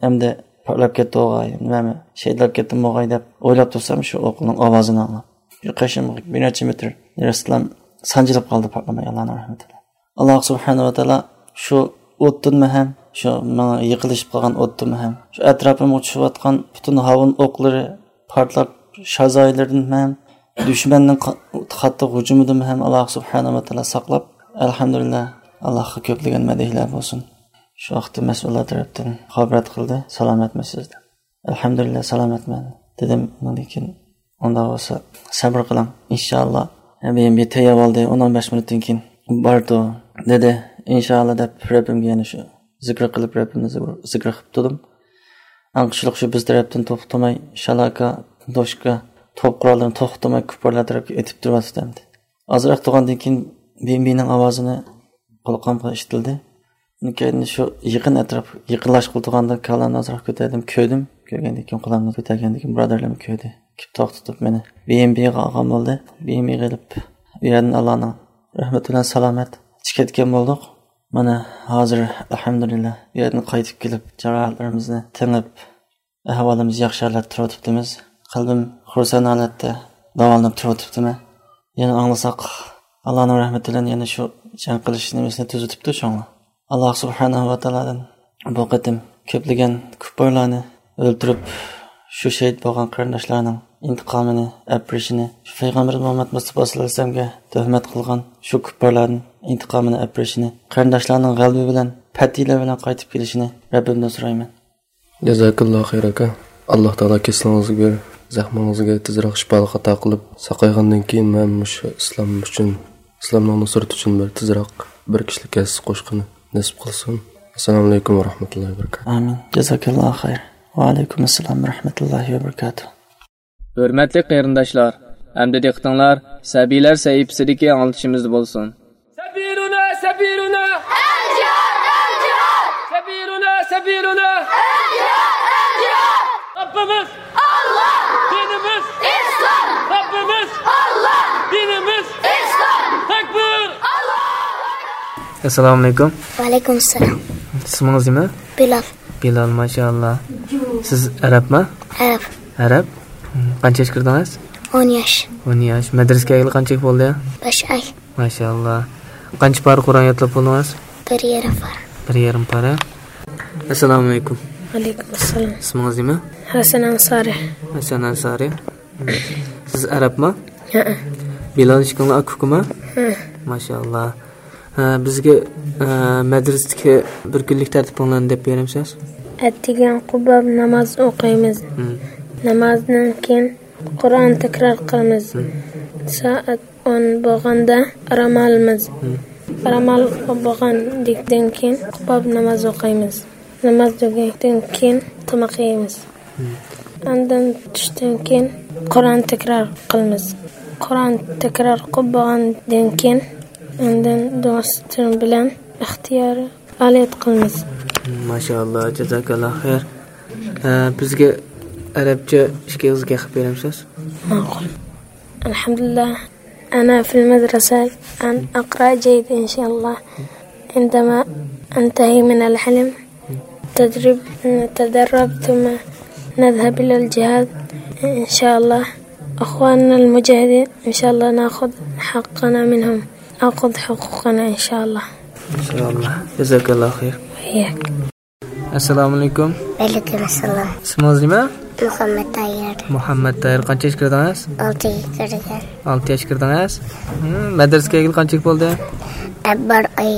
ئەمدى پارتلاپ كەتتى ئوغاي، نېمەمۇ، شېھىتلەپ كەتتىممۇ ئوغاي دەپ ئويلاپ تۇرسام، شۇ ئوقنىڭ ئاۋازىنى ئاڭلاپ، شۇ قېشىمغا بىر نەچچە مېتىر نېرىسىدىلا سانجىلىپ قالدى پارتلىماي، ئاللانىڭ رەھمىتى بىلەن. ئاللا سۇبھانەھۇ ۋە تائالا شۇ ئوتتىنمۇ ھەم، شۇ ماڭا يېقىنلىشىپ قالغان ئوتتىنمۇ ھەم، شۇ ئەتراپىمغا چۈشۈۋاتقان پۈتۈن ھاۋۇن ئوقلىرى پارتلاپ، شازايىلىرىدىن ھەم، دۈشمەننىڭ قا-، قاتتىق ھۇجۇمىدىن ھەم ئاللا سۇبھانەھۇ ۋە تائالا ساقلاپ، ئەلھەمدۇلىللا، ئاللاغا كۆپلىگەن مەدھىيەلەر بولسۇن. شۇ ۋاقىتتا مەسئۇللار تەرەپتىن خابەر قىلدى، سالامەتمىسىز دەپ. ئەلھەمدۇلىللا، سالامەتمەن دېدىم. ئۇنىڭدىن كېيىن ئۇنداق بولسا سەبرى قىلىڭ، ئىنشائاللا. ھەم بىر تەييار بولدى، ئون ئون بەش مىنۇتتىن كېيىن بارىدۇ دېدى. ئىنشائاللا دەپ رەببىمگە يەنە شۇ زىكىر قىلىپ، رەببىمنى زىكىر، زىكىر قىلىپ تۇردۇم. ئاڭقىشلىق شۇ بىز تەرەپتىن توختىماي شالاكا، دوشكا، توپ قوراللىرىنى توختىماي كۇپپارلار تەرەپكە ئېتىپ تۇرۇۋاتىدۇ ئەمدى. ئازراق تۇرغاندىن كېيىن بىم بىنىڭ ئاۋازىنى قۇلىقىمغا ئىشىتىلدى. ئۇنىڭ كەينىدىن شۇ يېقىن ئەتراپ، يېقىنلاشقىلى تۇرغاندا كالامنى ئازراق كۆتەردىم، كۆردۈم. كۆرگەندىن كېيىن، قۇلاقنى كۆتەرگەندىن كېيىن بۇرادەرلەرمۇ كۆردى. كېلىپ توختىتىپ مېنى بىم بىغا ئالغان بولدى. بىم بىغا ئېلىپ، ئۇ يەردىن ئاللانىڭ رەھمىتى بىلەن سالامەتچە كەتكەن بولدۇق. مانا ھازىر ئەلھەمدۇلىللا ئۇ يەردىن قايتىپ كېلىپ، جاراھەتلىرىمىزنى تېڭىپ، ئەھۋالىمىز ياخشى ھالەتتە تۇرۇۋېتىپتىمىز. قەلبىم خۇرسەن ھالەتتە داۋالىنىپ تۇرۇۋېتىپتىمەن. يەنە ئاڭلىساق، ئاللانىڭ رەھمىتى بىلەن يەنە شۇ جەڭ قىلىش نېمىسىنى تۈزىتىپتۇ شۇڭا. ئاللا سۇبھانەھۇ ۋە تائالادىن بۇ قېتىم كۆپلىگەن كۇپپارلارنى ئۆلتۈرۈپ، شۇ شېھىت بولغان قېرىنداشلارنىڭ ئىنتىقامىنى ئەپ بېرىشىنى، شۇ پەيغەمبىرىمىز مۇھەممەد مۇستافا سەللەللاھۇ ئەلەيھى ۋەسەللەمگە تۆھمەت قىلغان شۇ كۇپپارلاردىن ئىنتىقامىنى ئەپ بېرىشىنى، قېرىنداشلارنىڭ غەلىبە بىلەن، پەتھىيلەر بىلەن قايتىپ كېلىشىنى رەببىمدىن سورايمەن. جازاكاللا خەير ئاكا. ئاللا تائالا كېسىلىڭىزگە، زەخمىڭىزگە تېزراق شىپالىق ئاتا قىلىپ، ساقايغاندىن كېيىن مەن مۇشۇ ئىسلام ئۈچۈن، ئىسلامنىڭ نۇسرىتى ئۈچۈن بىر تېزراق بىر كىشىلىك ھەسسە قوشقىنى نېسىپ قىلسۇن. ئەسسالامۇ ئەلەيكۇم ۋە رەھمەتۇللاھى ۋە بەرىكاتۇھ. ئامىن. جازاكاللا خەير. ۋە ئەلەيكۇم ئەسسالام ۋە رەھمەتۇللاھى ۋە بەرىكاتۇھ. ھۆرمەتلىك قېرىنداشلار، ئەمدى دىققىتىڭلار سەبىيلەر سەھىپىسىدىكى ئاڭلىتىشىمىزدا بولسۇن. سەبىيلۇنا، سەبىيلۇنا. ئەلجىھاد، ئەلجىھاد. سەبىيلۇنا، سەبىيلۇنا. ئەلجىھاد، ئەلجىھاد. رەببىمىز. ئاللا. دىنىمىز. ئىسلام. رەببىمىز. ئاللا. دىنىمىز. ئىسلام. تەكبىر. ئاللا. ئەسسالامۇ ئەلەيكۇم. ۋەئەلەيكۇم ئەسسالام. ئىسمىڭىز نېمە؟ بىلال. بىلال، ماشائاللا. سىز ئەرەبمۇ؟ ئەرەب. ئەرەب؟ قانچە ياش كىردىڭىز؟ ئون ياش. ئون ياش. مەدرىسىگە كەلگىلى قانچە بولدى؟ بەش ئاي. ماشائاللا. قانچە پارە قۇرئان يادلاپ بولدىڭىز؟ بىر يېرىم پارە. بىر يېرىم پارە. ئەسسالامۇ ئەلەيكۇم. ۋەئەلەيكۇم ئەسسالام. ئىسمىڭىز نېمە؟ ھەسەن ئەنسارى. ھەسەن ئەنسارى. سىز ئەرەبمۇ؟ ھەئە. بىلال ئىككىڭلار ئاكا-ئۇكىمۇ؟ ھە. ماشائاللا. ھە، بىزگە، ھە، مەدرىستىكى بىر كۈنلۈك تەرتىپىڭلارنى دەپ بېرەمسىز؟ ئەتىگەن قۇباب ناماز ئوقۇيمىز. ھىم. نامازدىن كېيىن قۇرئان تەكرار قىلىمىز. ھىم. سائەت ئون بولغاندا ئارام ئالىمىز. ھىم. ئارام ئال-، بولغاندىن كېيىن قۇباب ناماز ئوقۇيمىز. ناماز تۈگىگەندىن كېيىن تاماق يەيمىز. ھىم. ئاندىن چۈشتىن كېيىن قۇرئان تەكرار قىلىمىز. قۇرئان تەكرار قىلىپ بولغاندىن كېيىن ئاندىن دۇئا بىلەن ئىختىيار پائالىيەت قىلىمىز. ماشائاللا، جازاكاللا خەير. ئە، بىزگە ئەرەبچە ئىككى ئېغىز گەپ قىلىپ بېرەمسىز؟ ماقۇل. الحمد لله. أنا في المدرسة الآن أقرأ جيد إن شاء الله. عندما أنتهي من الحلم تدريب، نتدرب ثم نذهب إلى الجهاد إن شاء الله. أخواننا المجاهدين إن شاء الله نأخذ حقنا منهم، نأخذ حقوقنا إن شاء الله. إن شاء الله. جزاك الله خير. وإياك. ئەسسالامۇ ئەلەيكۇم. ۋەئەلەيكۇم ئەسسالام. ئىسمىڭىز نېمە؟ مۇھەممەد تاھىر. مۇھەممەد تاھىر، قانچە ياش كىردىڭىز؟ ئالتە ياش كىردىم. ئالتە ياش كىردىڭىز؟ ھىم، مەدرىسىگە كەلگىلى قانچە بولدى؟ بىر ئاي.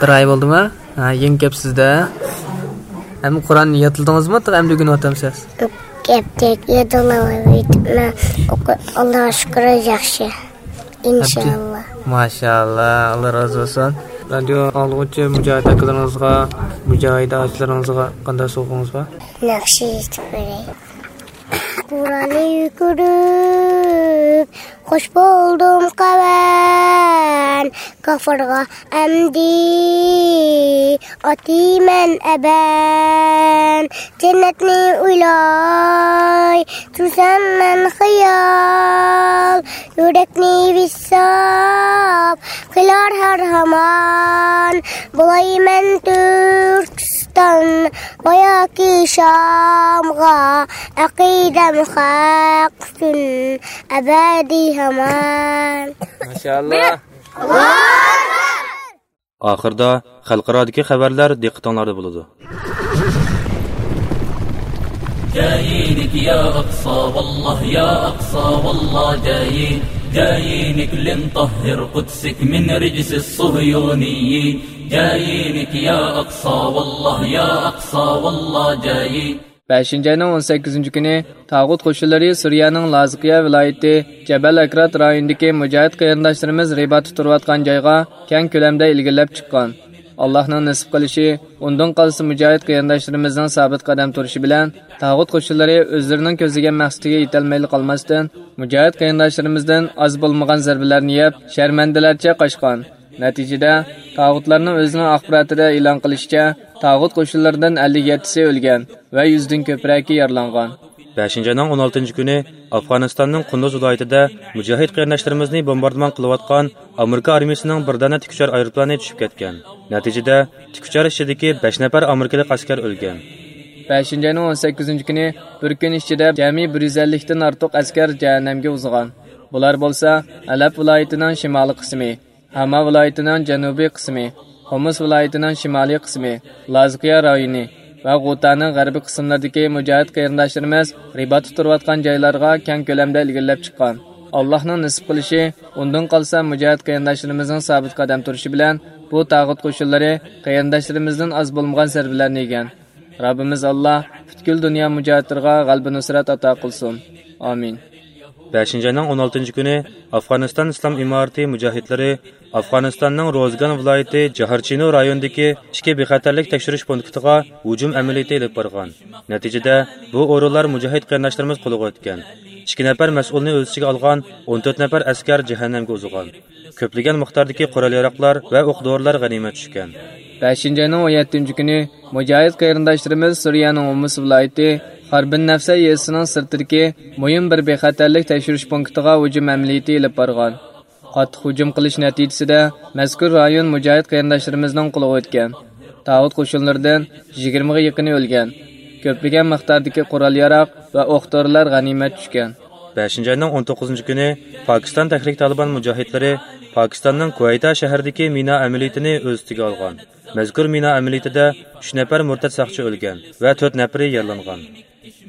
بىر ئاي بولدىمۇ؟ ھە، يېڭى كەپسىز-دە. ھەم قۇرئان يادلىدىڭىزمۇ؟ تېخى ئەمدى ئۆگىنىۋاتامسىز؟ كەپتەك يادلاۋېتىپمەن. ئوقۇ-، ئاللاغا شۈكۈر، ياخشى. ئىنشائاللا. ماشائاللا، ئاللا رازى بولسۇن. رادىيو ئاڭلىغۇچى مۇجاھىد ئاكىلىرىڭىزغا، مۇجاھىدە ئاچىلىرىڭىزغا قانداق سوۋغىڭىز بار؟ ناخشا ئېيتىپ بېرەي. قۇرئاننى كۆرۈپ خوش بولدۇم قەۋەن، كاپىرغا ئەمدى ئاتىمەن ئەبەن. جەننەتنى ئويلاي تۇرسام مەن خىيال، يۈرەكنى ۋىسال قىلار ھەر ھامان. بولايمەن تۈركىستان ۋە ياكى شامغا، ئەقىدەم خەق ئۈچۈن ئەبەدىي ھامان. ماشائاللا. ئاخىردا خەلقئارادىكى خەۋەرلەر دىققىتىڭلاردا بولىدۇ. جايينك يا أقصى والله، يا أقصى والله جايين، جايينك لنطهر قدسك من رجس الصهيونيين، جايينك يا أقصى والله، يا أقصى والله جايين. بەشىنچى ئاينىڭ ئون سەككىزىنچى كۈنى تاغۇت قوشۇنلىرى سۈرىيەنىڭ لازقىيە ۋىلايىتى جەبەل ئەكرات رايونىدىكى مۇجاھىد قېرىنداشلىرىمىز رىباتتا تۇرۇۋاتقان جايغا كەڭ كۆلەمدە ئىلگىرىلەپ چىققان. ئاللاھنىڭ نېسىپ قىلىشى، ئۇندىن قالسا مۇجاھىد قېرىنداشلىرىمىزنىڭ سابىت قەدەم تۇرۇشى بىلەن تاغۇت قوشۇنلىرى ئۆزلىرىنىڭ كۆزلىگەن مەقسىتىگە يېتەلمەيلا قالماستىن، مۇجاھىد قېرىنداشلىرىمىزدىن ئاز بولمىغان زەربىلەرنى يەپ، شەرمەندىلەرچە قاچقان. نەتىجىدە، تاغۇتلارنىڭ ئۆزىنىڭ ئاخباراتىدا ئېلان قىلىشىچە، تاغۇت قوشۇنلىرىدىن ئەللىك يەتتىسى ئۆلگەن ۋە يۈزدىن كۆپرەكى يارىلانغان. بەشىنچى ئاينىڭ ئون ئالتىنچى كۈنى ئافغانىستاننىڭ قۇندۇز ۋىلايىتىدە مۇجاھىد قېرىنداشلىرىمىزنى بومباردىمان قىلىۋاتقان ئامېرىكا ئارمىيىسىنىڭ بىر دانە تىكۇچار ئايروپىلانى چۈشۈپ كەتكەن. نەتىجىدە، تىكۇچار ئىچىدىكى بەش نەپەر ئامېرىكىلىق ئەسكەر ئۆلگەن. بەشىنچى ئاينىڭ ئون سەككىزىنچى كۈنى بىر كۈن ئىچىدە جەمئىي بىر يۈز ئەللىكتىن ئارتۇق ئەسكەر جەھەننەمگە ئۇزىغان. بۇلار بولسا، ھەلەب ۋىلايىتىنىڭ شىمالىي قىسمى، ھاما ۋىلايىتىنىڭ جەنۇبىي قىسمى، خۇمۇس ۋىلايىتىنىڭ شىمالىي قىسمى، لازقىيا رايونى ۋە غۇتانىڭ غەربىي قىسىملىرىدىكى مۇجاھىد قېرىنداشلىرىمىز رىباتتا تۇرۇۋاتقان جايلارغا كەڭ كۆلەمدە ئىلگىرىلەپ چىققان. ئاللاھنىڭ نېسىپ قىلىشى، ئۇندىن قالسا مۇجاھىد قېرىنداشلىرىمىزنىڭ سابىت قەدەم تۇرۇشى بىلەن بۇ تاغۇت قوشۇنلىرى قېرىنداشلىرىمىزدىن ئاز بولمىغان زەربىلەرنى يېگەن. رەببىمىز ئاللا پۈتكۈل دۇنيا مۇجاھىدلىرىغا غەلىبە نۇسرەت ئاتا قىلسۇن. ئامىن. بەشىنچى ئاينىڭ ئون ئالتىنچى كۈنى ئافغانىستان ئىسلام ئىمارىتى مۇجاھىدلىرى ئافغانىستاننىڭ روزگان ۋىلايىتى جاھارچىنو رايونىدىكى ئىككى بىخەتەرلىك تەكشۈرۈش پونكىتىغا ھۇجۇم ئەمەلىيىتى ئېلىپ بارغان. نەتىجىدە، بۇ ئورۇنلار مۇجاھىد قېرىنداشلىرىمىز قولىغا ئۆتكەن. ئىككى نەپەر مەسئۇلنى ئۆز ئىچىگە ئالغان ئون تۆت نەپەر ئەسكەر جەھەننەمگە ئۇزىغان. كۆپلىگەن مىقداردىكى قورال-ياراغلار ۋە ئوق-دورىلار غەنىيمەت چۈشكەن. بەشىنچى ئاينىڭ ئون يەتتىنچى كۈنى مۇجاھىد قېرىنداشلىرىمىز سۈرىيەنىڭ ھومۇس ۋىلايىتى خاربىن نەفسە يېزىسىنىڭ سىرتىدىكى مۇھىم بىر بىخەتەرلىك تەكشۈرۈش پونكىتىغا ھۇجۇم ئەمەلىيىتى ئېلىپ بارغان. قاتتىق ھۇجۇم قىلىش نەتىجىسىدە مەزكۇر رايون مۇجاھىد قېرىنداشلىرىمىزنىڭ قولىغا ئۆتكەن. تاغۇت قوشۇنلىرىدىن يىگىرمىگە يېقىنى ئۆلگەن. كۆپلىگەن مىقداردىكى قورال-ياراغ ۋە ئوق-دورىلار غەنىيمەت چۈشكەن. بەشىنچى ئاينىڭ ئون توققۇزىنچى كۈنى پاكىستان تەھرىك تالىبان مۇجاھىدلىرى پاكىستاننىڭ كۇۋەيتا شەھىرىدىكى مىنا ئەمەلىيىتىنى ئۆز ئۈستىگە ئالغان. مەزكۇر مىنا ئەمەلىيىتىدە ئۈچ نەپەر مۇرتەت ساقچى ئۆلگەن ۋە تۆت نەپىرى يارىلانغان.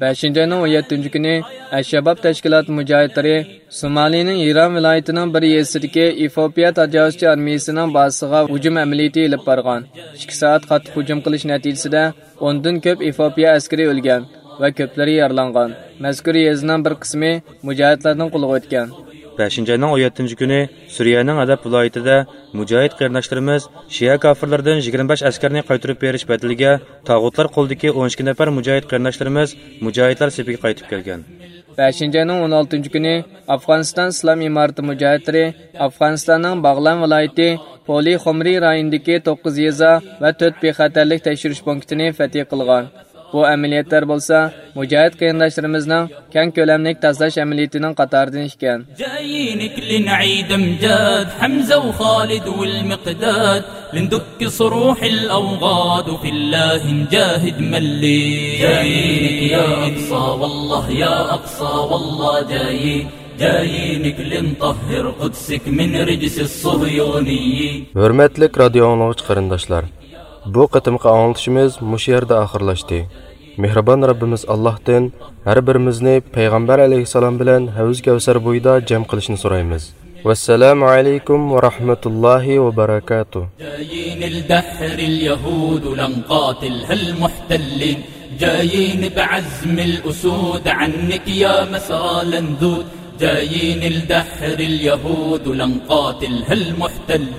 بەشىنچى ئاينىڭ ئون يەتتىنچى كۈنى ئەلشاباب تەشكىلاتى مۇجاھىدلىرى سومالىنىڭ ھىران ۋىلايىتىنىڭ بىر يېزىسىدىكى ئېفىوپىيە تاجاۋۇزچى ئارمىيىسىنىڭ بازىسىغا ھۇجۇم ئەمەلىيىتى ئېلىپ بارغان. ئىككى سائەت قاتتىق ھۇجۇم قىلىش نەتىجىسىدە ئوندىن كۆپ ئېفىئوپىيە ئەسكىرى ئۆلگەن ۋە كۆپلىرى يارىلانغان. مەزكۇر يېزىنىڭ بىر قىسمى مۇجاھىدلارنىڭ قولىغا ئۆتكەن. بەشىنچى ئاينىڭ ئون يەتتىنچى كۈنى سۈرىيەنىڭ ھەلەب ۋىلايىتىدە مۇجاھىد قېرىنداشلىرىمىز شىئە كاپىرلىرىدىن يىگىرمە بەش ئەسكەرنى قايتۇرۇپ بېرىش بەدىلىگە تاغۇتلار قولىدىكى ئون ئىككى نەپەر مۇجاھىد قېرىنداشلىرىمىز مۇجاھىدلار سېپىگە قايتىپ كەلگەن. بەشىنچى ئاينىڭ ئون ئالتىنچى كۈنى ئافغانىستان ئىسلام ئىمارىتى مۇجاھىدلىرى ئافغانىستاننىڭ باغلان ۋىلايىتى پولى خۇمرى رايونىدىكى توققۇز يېزا ۋە تۆت بىخەتەرلىك تەكشۈرۈش پونكىتىنى فەتھى قىلغان. بۇ ئەمەلىيەتلەر بولسا مۇجاھىد قېرىنداشلىرىمىزنىڭ كەڭ كۆلەملىك تازىلاش ئەمەلىيىتىنىڭ قاتارىدىن ئىكەن. جايينك لنعيد أمجاد حمزة وخالد والمقداد، لندك صروح الأوغاد وفي الله نجاهد ملي. جايينك يا أقصى والله، يا أقصى والله جايين. جايينك لنطهر قدسك من رجس الصهيونيين. ھۆرمەتلىك رادىيو ئاڭلىغۇچى قېرىنداشلار، بۇ قېتىمقى ئاڭلىتىشىمىز مۇشۇ يەردە ئاخىرلاشتى. مېھرىبان رەببىمىز ئاللاھتىن ھەر بىرىمىزنى پەيغەمبەر ئەلەيھىسسالام بىلەن ھەۋز كەۋسەر بويىدا جەم قىلىشنى سورايمىز. ۋەسسالامۇ ئەلەيكۇم ۋە رەھمەتۇللاھى ۋە بەرەكاتۇھ. جايين الدحر اليهود لنقاتلها المحتلين. جايين بعزم الأسود عنك يا مسرى لنذود. جايين الدحر اليهود لنقاتلها المحتلين.